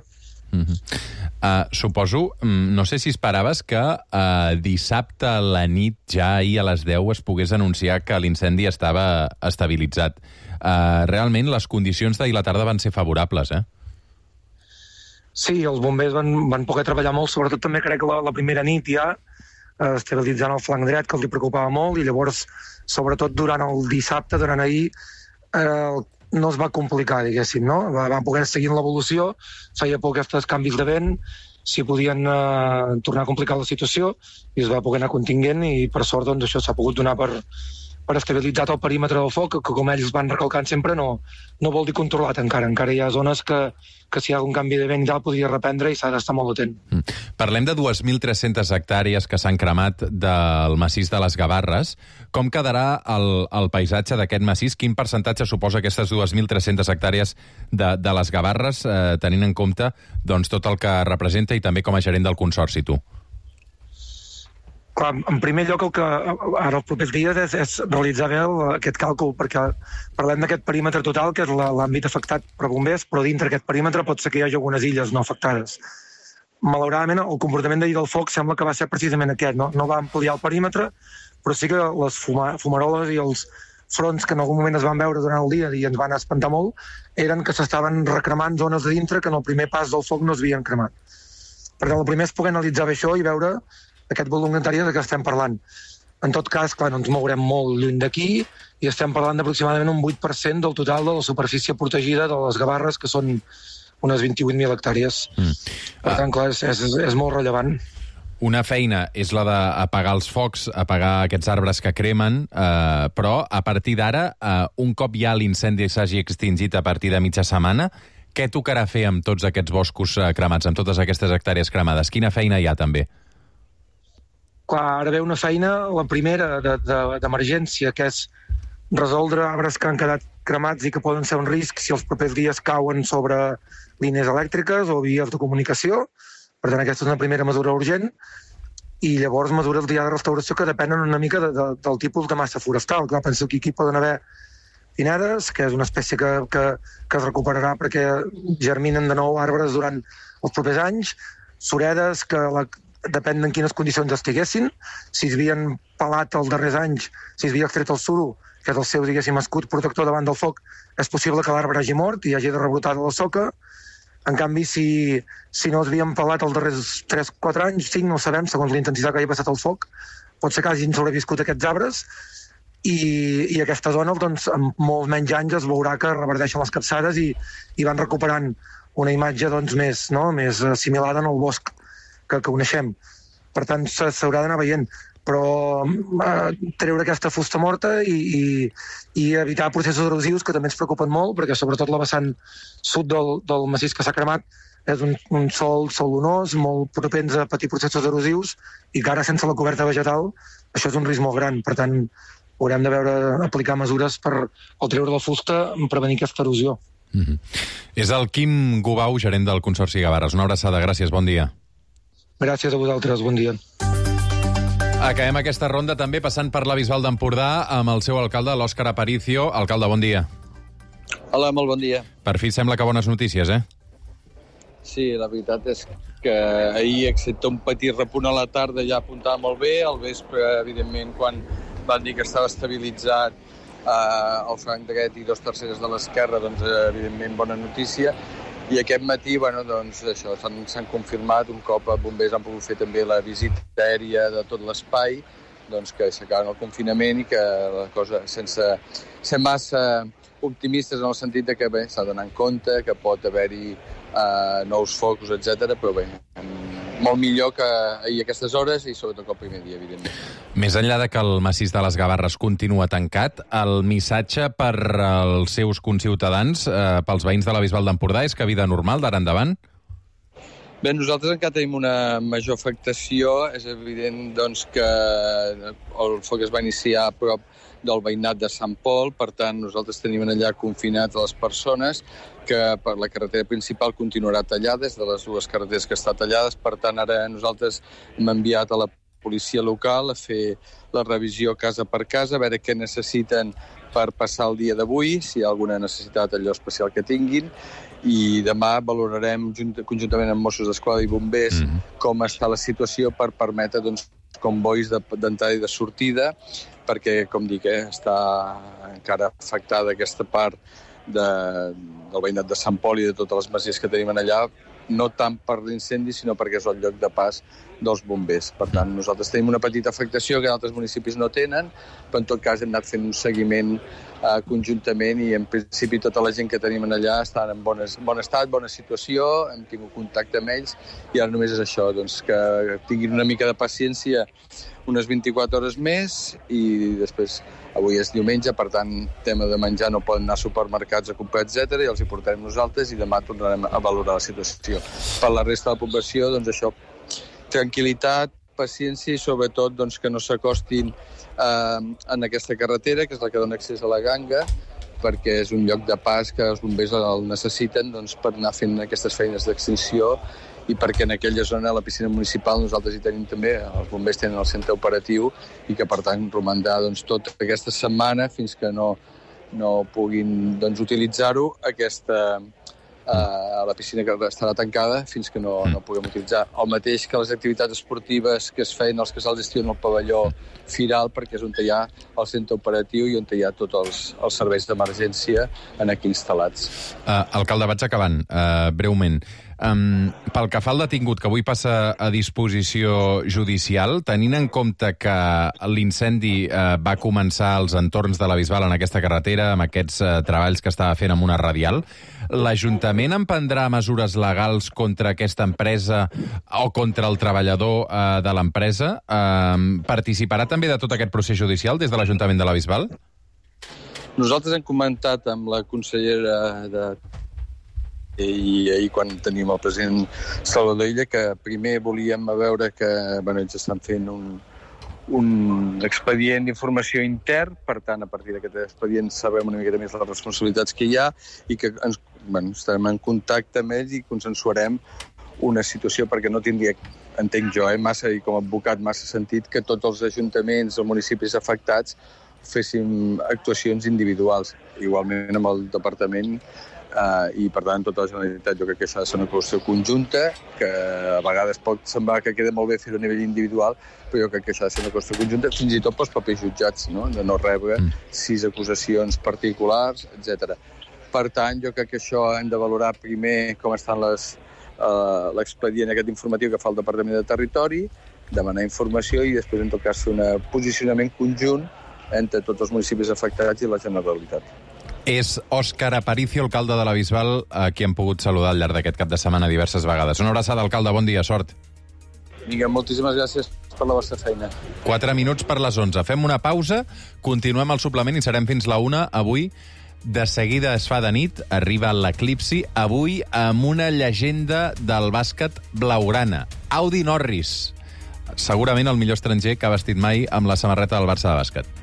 Speaker 5: Mm-hmm. Uh, suposo, no sé si esperaves que uh, dissabte a la nit, ja ahir a les deu, es pogués anunciar que l'incendi estava estabilitzat. Uh, realment, les condicions d'ahir a la tarda van ser favorables, eh?
Speaker 18: Sí, els bombers van, van poder treballar molt, sobretot també crec que la, la primera nit ja, eh, estabilitzant el flanc dret, que els preocupava molt, i llavors, sobretot durant el dissabte, durant ahir, eh, no es va complicar, diguéssim, no? Van poder seguir l'evolució, feia por aquests canvis de vent, si podien eh, tornar a complicar la situació, i es va poder anar contingent, i per sort doncs, això s'ha pogut donar per, per estabilitzar el perímetre del foc, que com ells van recalcant sempre, no, no vol dir controlat encara. Encara hi ha zones que, que si hi ha algun canvi de vent i tal podria reprendre i s'ha d'estar molt atent.
Speaker 5: Mm. Parlem de dues mil tres-centes hectàrees que s'han cremat del massís de les Gavarres. Com quedarà el, el paisatge d'aquest massís? Quin percentatge suposa aquestes dues mil tres-centes hectàrees de, de les Gavarres, eh, tenint en compte doncs, tot el que representa i també com a gerent del consorci, tu?
Speaker 18: Clar, en primer lloc, el que ara els propers dies és, és realitzar bé el, aquest càlcul, perquè parlem d'aquest perímetre total, que és l'àmbit afectat per bombers, però dintre aquest perímetre pot ser que hi hagi algunes illes no afectades. Malauradament, el comportament d'ahir del foc sembla que va ser precisament aquest, no? No va ampliar el perímetre, però sí que les fuma, fumaroles i els fronts que en algun moment es van veure durant el dia i ens van espantar molt, eren que s'estaven recremant zones de dintre que en el primer pas del foc no es havien cremat. Per tant, el primer és poder analitzar bé això i veure aquest volum d'hectàrees de què estem parlant. En tot cas, clar, no ens mourem molt lluny d'aquí i estem parlant d'aproximadament un vuit per cent del total de la superfície protegida de les Gavarres, que són unes vint-i-vuit mil hectàrees. Mm. Per tant, clar, és, és, és molt rellevant.
Speaker 5: Una feina és la d'apagar els focs, apagar aquests arbres que cremen, eh, però a partir d'ara, eh, un cop ja l'incendi s'hagi extingit a partir de mitja setmana, què tocarà fer amb tots aquests boscos eh, cremats, amb totes aquestes hectàrees cremades? Quina feina hi ha, també?
Speaker 18: Clar, ara ve una feina, la primera d'emergència, que és resoldre arbres que han quedat cremats i que poden ser un risc si els propers dies cauen sobre línies elèctriques o vies de comunicació. Per tant, aquesta és una primera mesura urgent. I llavors mesures ja de restauració que depenen una mica de, de, del tipus de massa forestal. Clar, penso que aquí poden haver pinedes, que és una espècie que, que, que es recuperarà perquè germinen de nou arbres durant els propers anys, suredes, que la, depèn en quines condicions estiguessin. Si es havien pelat els darrers anys, si es havia extret el suro, que és el seu, diguéssim, escut protector davant del foc, és possible que l'arbre hagi mort i hagi de rebrotar de la soca. En canvi, si, si no es havien pelat els darrers tres quatre anys, cinc, no ho sabem, segons la intensitat que hagi passat el foc, pot ser que hagin sobreviscut aquests arbres i, i aquesta zona, doncs, amb molts menys anys es veurà que reverdeixen les capçades i, i van recuperant una imatge doncs, més, no? més assimilada en el bosc que, que coneixem. Per tant, s'haurà d'anar veient. Però eh, treure aquesta fusta morta i, i, i evitar processos erosius que també ens preocupen molt, perquè sobretot la vessant sud del, del massís que s'ha cremat és un, un sol solonós, molt propens a patir processos erosius, i que ara sense la coberta vegetal això és un risc molt gran. Per tant, haurem de veure aplicar mesures per, al treure la fusta, prevenir aquesta erosió.
Speaker 5: Mm-hmm. És el Quim Gubau, gerent del Consorci Gavarres. Una abraçada, gràcies, bon dia.
Speaker 18: Gràcies a vosaltres, bon dia.
Speaker 5: Acabem aquesta ronda també passant per la Bisbal d'Empordà amb el seu alcalde, l'Òscar Aparicio. Alcalde, bon dia.
Speaker 19: Hola, molt bon dia.
Speaker 5: Per fi sembla que bones notícies, eh?
Speaker 19: Sí, la veritat és que ahir, excepte un petit repunt a la tarda, ja apuntava molt bé. Al vespre, evidentment, quan van dir que estava estabilitzat eh, el franc dret i dos terceres de l'esquerra, doncs, evidentment, bona notícia. I aquest matí, bueno, doncs, això, s'han confirmat un cop els bombers han pogut fer també la visita aèria de tot l'espai, doncs que aixecaven el confinament i que la cosa, sense ser massa optimistes en el sentit de que bé, s'ha d'anar en compte, que pot haver-hi eh, nous focus, etcètera, però bé, molt millor que ahir a aquestes hores i sobretot el primer dia, evidentment.
Speaker 5: Més enllà de que el massís de les Gavarres continua tancat, el missatge per als seus conciutadans, eh, pels veïns de la Bisbal d'Empordà, és que vida normal d'ara endavant?
Speaker 19: Bé, nosaltres encara tenim una major afectació. És evident doncs, que el foc es va iniciar a prop del veïnat de Sant Pol, per tant, nosaltres tenim allà confinats les persones, que per la carretera principal continuarà tallada, és de les dues carreteres que està tallades, per tant, ara nosaltres hem enviat a la policia local a fer la revisió casa per casa, a veure què necessiten per passar el dia d'avui, si hi ha alguna necessitat allò especial que tinguin, i demà valorarem conjuntament amb Mossos d'Esquadra i bombers mm-hmm. com està la situació per permetre doncs, convois d'entrada i de sortida, perquè, com dic, eh, està encara afectada aquesta part de, del veïnat de Sant Pol i de totes les masies que tenim allà, no tant per l'incendi, sinó perquè és el lloc de pas dels bombers. Per tant, nosaltres tenim una petita afectació que altres municipis no tenen, però en tot cas hem anat fent un seguiment uh, conjuntament, i en principi tota la gent que tenim allà estan en bones, bon estat, bona situació, hem tingut contacte amb ells, i ara només és això, doncs, que tinguin una mica de paciència unes vint-i-quatre hores més, i després avui és diumenge, per tant, tema de menjar, no poden anar a supermercats a comprar, etcètera, i els hi portarem nosaltres, i demà tornarem a valorar la situació. Per la resta de la població, doncs això, tranquil·litat, paciència i sobretot doncs, que no s'acostin eh, en aquesta carretera, que és la que dona accés a la Ganga, perquè és un lloc de pas que els bombers el necessiten doncs, per anar fent aquestes feines d'extinció, i perquè en aquella zona, a la piscina municipal, nosaltres hi tenim també, els bombers tenen el centre operatiu, i que per tant romandrà doncs, tota aquesta setmana fins que no, no puguin doncs, utilitzar-ho, aquesta, eh, la piscina que estarà tancada fins que no, no puguem utilitzar. El mateix que les activitats esportives que es feien als casals d'estiu en el pavelló Firal, perquè és on hi ha el centre operatiu i on hi ha tots els, els serveis d'emergència en aquí instal·lats.
Speaker 5: Uh, alcalde, vaig acabant, uh, breument. Um, pel que fa al detingut, que avui passa a disposició judicial, tenint en compte que l'incendi uh, va començar als entorns de la Bisbal en aquesta carretera, amb aquests uh, treballs que estava fent amb una radial, l'Ajuntament emprendrà mesures legals contra aquesta empresa o contra el treballador uh, de l'empresa? Uh, participarà també de tot aquest procés judicial des de l'Ajuntament de la Bisbal?
Speaker 19: Nosaltres hem comentat amb la consellera de i ahir quan tenim el president Salvador Illa que primer volíem veure que bueno, ells estan fent un, un expedient d'informació intern, per tant a partir d'aquest expedient sabem una miqueta més les responsabilitats que hi ha i que ens, bueno, estarem en contacte amb ells i consensuarem una situació perquè no tindria, entenc jo, eh, massa i com a advocat massa sentit que tots els ajuntaments o municipis afectats féssim actuacions individuals, igualment amb el departament. Uh, i per tant tota la Generalitat jo crec que això ha de ser una qüestió conjunta que a vegades pot semblar que queda molt bé fer-ho a nivell individual, però jo crec que això ha de ser una qüestió conjunta fins i tot pels propis jutjats, no? De no rebre mm. sis acusacions particulars, etcètera. Per tant, jo crec que això hem de valorar primer com estan les uh, l'expedient aquest informatiu que fa el Departament de Territori, demanar informació i després en tot cas fer un posicionament conjunt entre tots els municipis afectats i la Generalitat.
Speaker 5: És Òscar Aparicio, alcalde de la Bisbal, a qui hem pogut saludar al llarg d'aquest cap de setmana diverses vegades. Una abraçada, alcalde, bon dia, sort.
Speaker 19: Vinga, moltíssimes gràcies per la vostra feina.
Speaker 5: Quatre minuts per les onze. Fem una pausa, continuem el suplement i serem fins la una. Avui, de seguida es fa de nit, arriba l'eclipsi, avui amb una llegenda del bàsquet blaugrana, Audi Norris. Segurament el millor estranger que ha vestit mai amb la samarreta del Barça de bàsquet.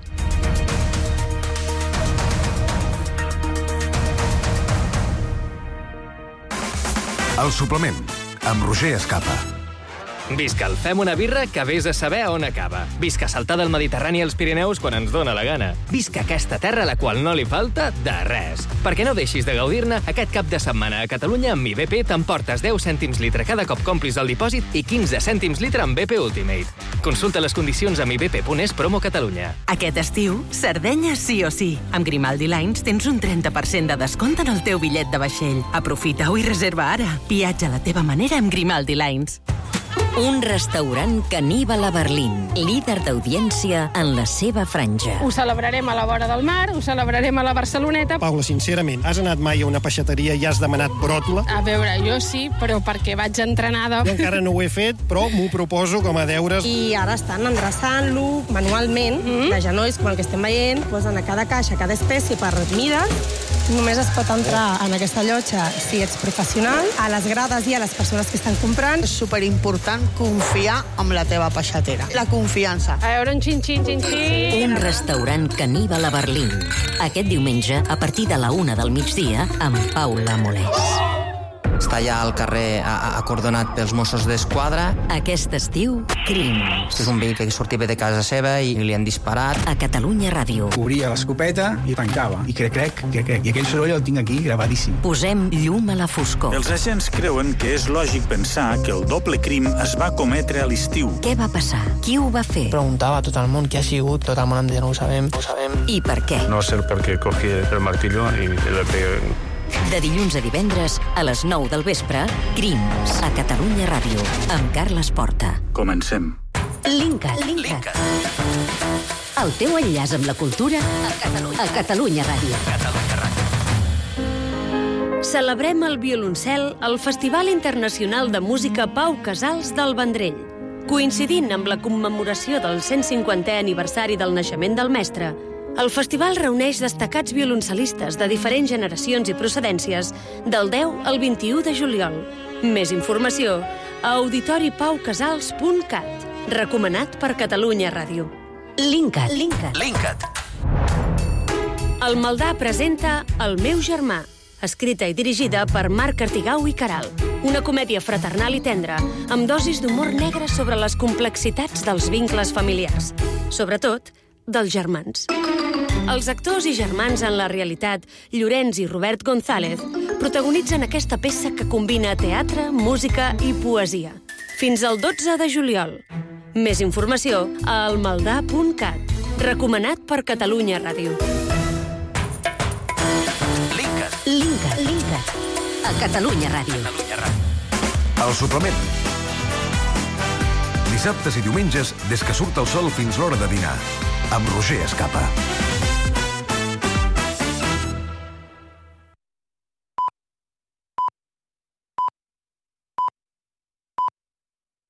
Speaker 1: El suplement, amb Roger Escapa.
Speaker 20: Visca el Fem una birra que vés a saber on acaba. Visca saltar del Mediterrani als Pirineus quan ens dóna la gana. Visca aquesta terra a la qual no li falta de res. Perquè no deixis de gaudir-ne, aquest cap de setmana a Catalunya amb Mi B P t'emportes deu cèntims litre cada cop complis el dipòsit i quinze cèntims litre amb B P Ultimate. Consulta les condicions a mi b p punt es promo Catalunya.
Speaker 8: Aquest estiu, Sardenya sí o sí. Amb Grimaldi Lines tens un trenta per cent de descompte en el teu bitllet de vaixell. Aprofita-ho i reserva ara. Viatja a la teva manera amb Grimaldi Lines.
Speaker 7: Un restaurant caníbal a Berlín, líder d'audiència en la seva franja.
Speaker 21: Ho celebrarem a la vora del mar, ho celebrarem a la Barceloneta.
Speaker 22: Paula, sincerament, has anat mai a una peixateria i has demanat bròtola?
Speaker 21: A veure, jo sí, però perquè vaig entrenada.
Speaker 22: Jo encara no ho he fet, però m'ho proposo com a deures.
Speaker 6: I ara estan endreçant-lo manualment, mm -hmm. de genolls, com el que estem veient, posen a cada caixa, cada espècie per mides. Només es pot entrar en aquesta llotja si ets professional. A les grades i a les persones que estan comprant.
Speaker 23: És superimportant confiar en la teva peixatera. La confiança.
Speaker 21: A veure, un xin-xin, xin-xin.
Speaker 7: Un restaurant caníbal a Berlín. Aquest diumenge, a partir de la una del migdia, amb Paula Molés.
Speaker 24: Està allà al carrer acordonat pels Mossos d'Esquadra.
Speaker 7: Aquest estiu, Crims.
Speaker 24: És un veí que sortia de casa seva i li han disparat.
Speaker 7: A Catalunya Ràdio.
Speaker 25: Obria l'escopeta i tancava. I crec, crec, crec, crec. I aquell soroll el tinc aquí gravadíssim.
Speaker 7: Posem llum a la foscor.
Speaker 26: Els agents creuen que és lògic pensar que el doble crim es va cometre a l'estiu.
Speaker 7: Què va passar? Qui ho va fer?
Speaker 27: Preguntava a tot el món qui ha sigut, tot el món em deia no ho sabem, no ho sabem.
Speaker 7: I per què?
Speaker 28: No sé per què cogí el martillo i le pegué.
Speaker 7: De dilluns a divendres, a les nou del vespre, Crims, a Catalunya Ràdio, amb Carles Porta.
Speaker 26: Comencem.
Speaker 7: Linkat. Linkat.
Speaker 2: El teu enllaç amb la cultura a Catalunya, a Catalunya Ràdio.
Speaker 20: Catalunya Ràdio.
Speaker 4: Celebrem el violoncel al Festival Internacional de Música Pau Casals del Vendrell. Coincidint amb la commemoració del cent cinquantè aniversari del naixement del mestre, el festival reuneix destacats violoncelistes de diferents generacions i procedències del deu al vint-i-u de juliol. Més informació a auditori pau casals punt cat. Recomanat per Catalunya Ràdio.
Speaker 2: Linkat.
Speaker 4: Linkat.
Speaker 20: Linkat.
Speaker 4: El Maldà presenta El meu germà, escrita i dirigida per Marc Artigau i Caral. Una comèdia fraternal i tendra, amb dosis d'humor negre sobre les complexitats dels vincles familiars. Sobretot, dels germans. Els actors i germans en la realitat, Llorenç i Robert González, protagonitzen aquesta peça que combina teatre, música i poesia. Fins al dotze de juliol. Més informació a almaldà punt cat. Recomanat per Catalunya Ràdio.
Speaker 20: Linkat.
Speaker 2: Linkat. Linkat. A Catalunya Ràdio.
Speaker 20: Catalunya Ràdio.
Speaker 1: El suplement. Dissabtes i diumenges, des que surt el sol fins l'hora de dinar. Amb Roger Escapa.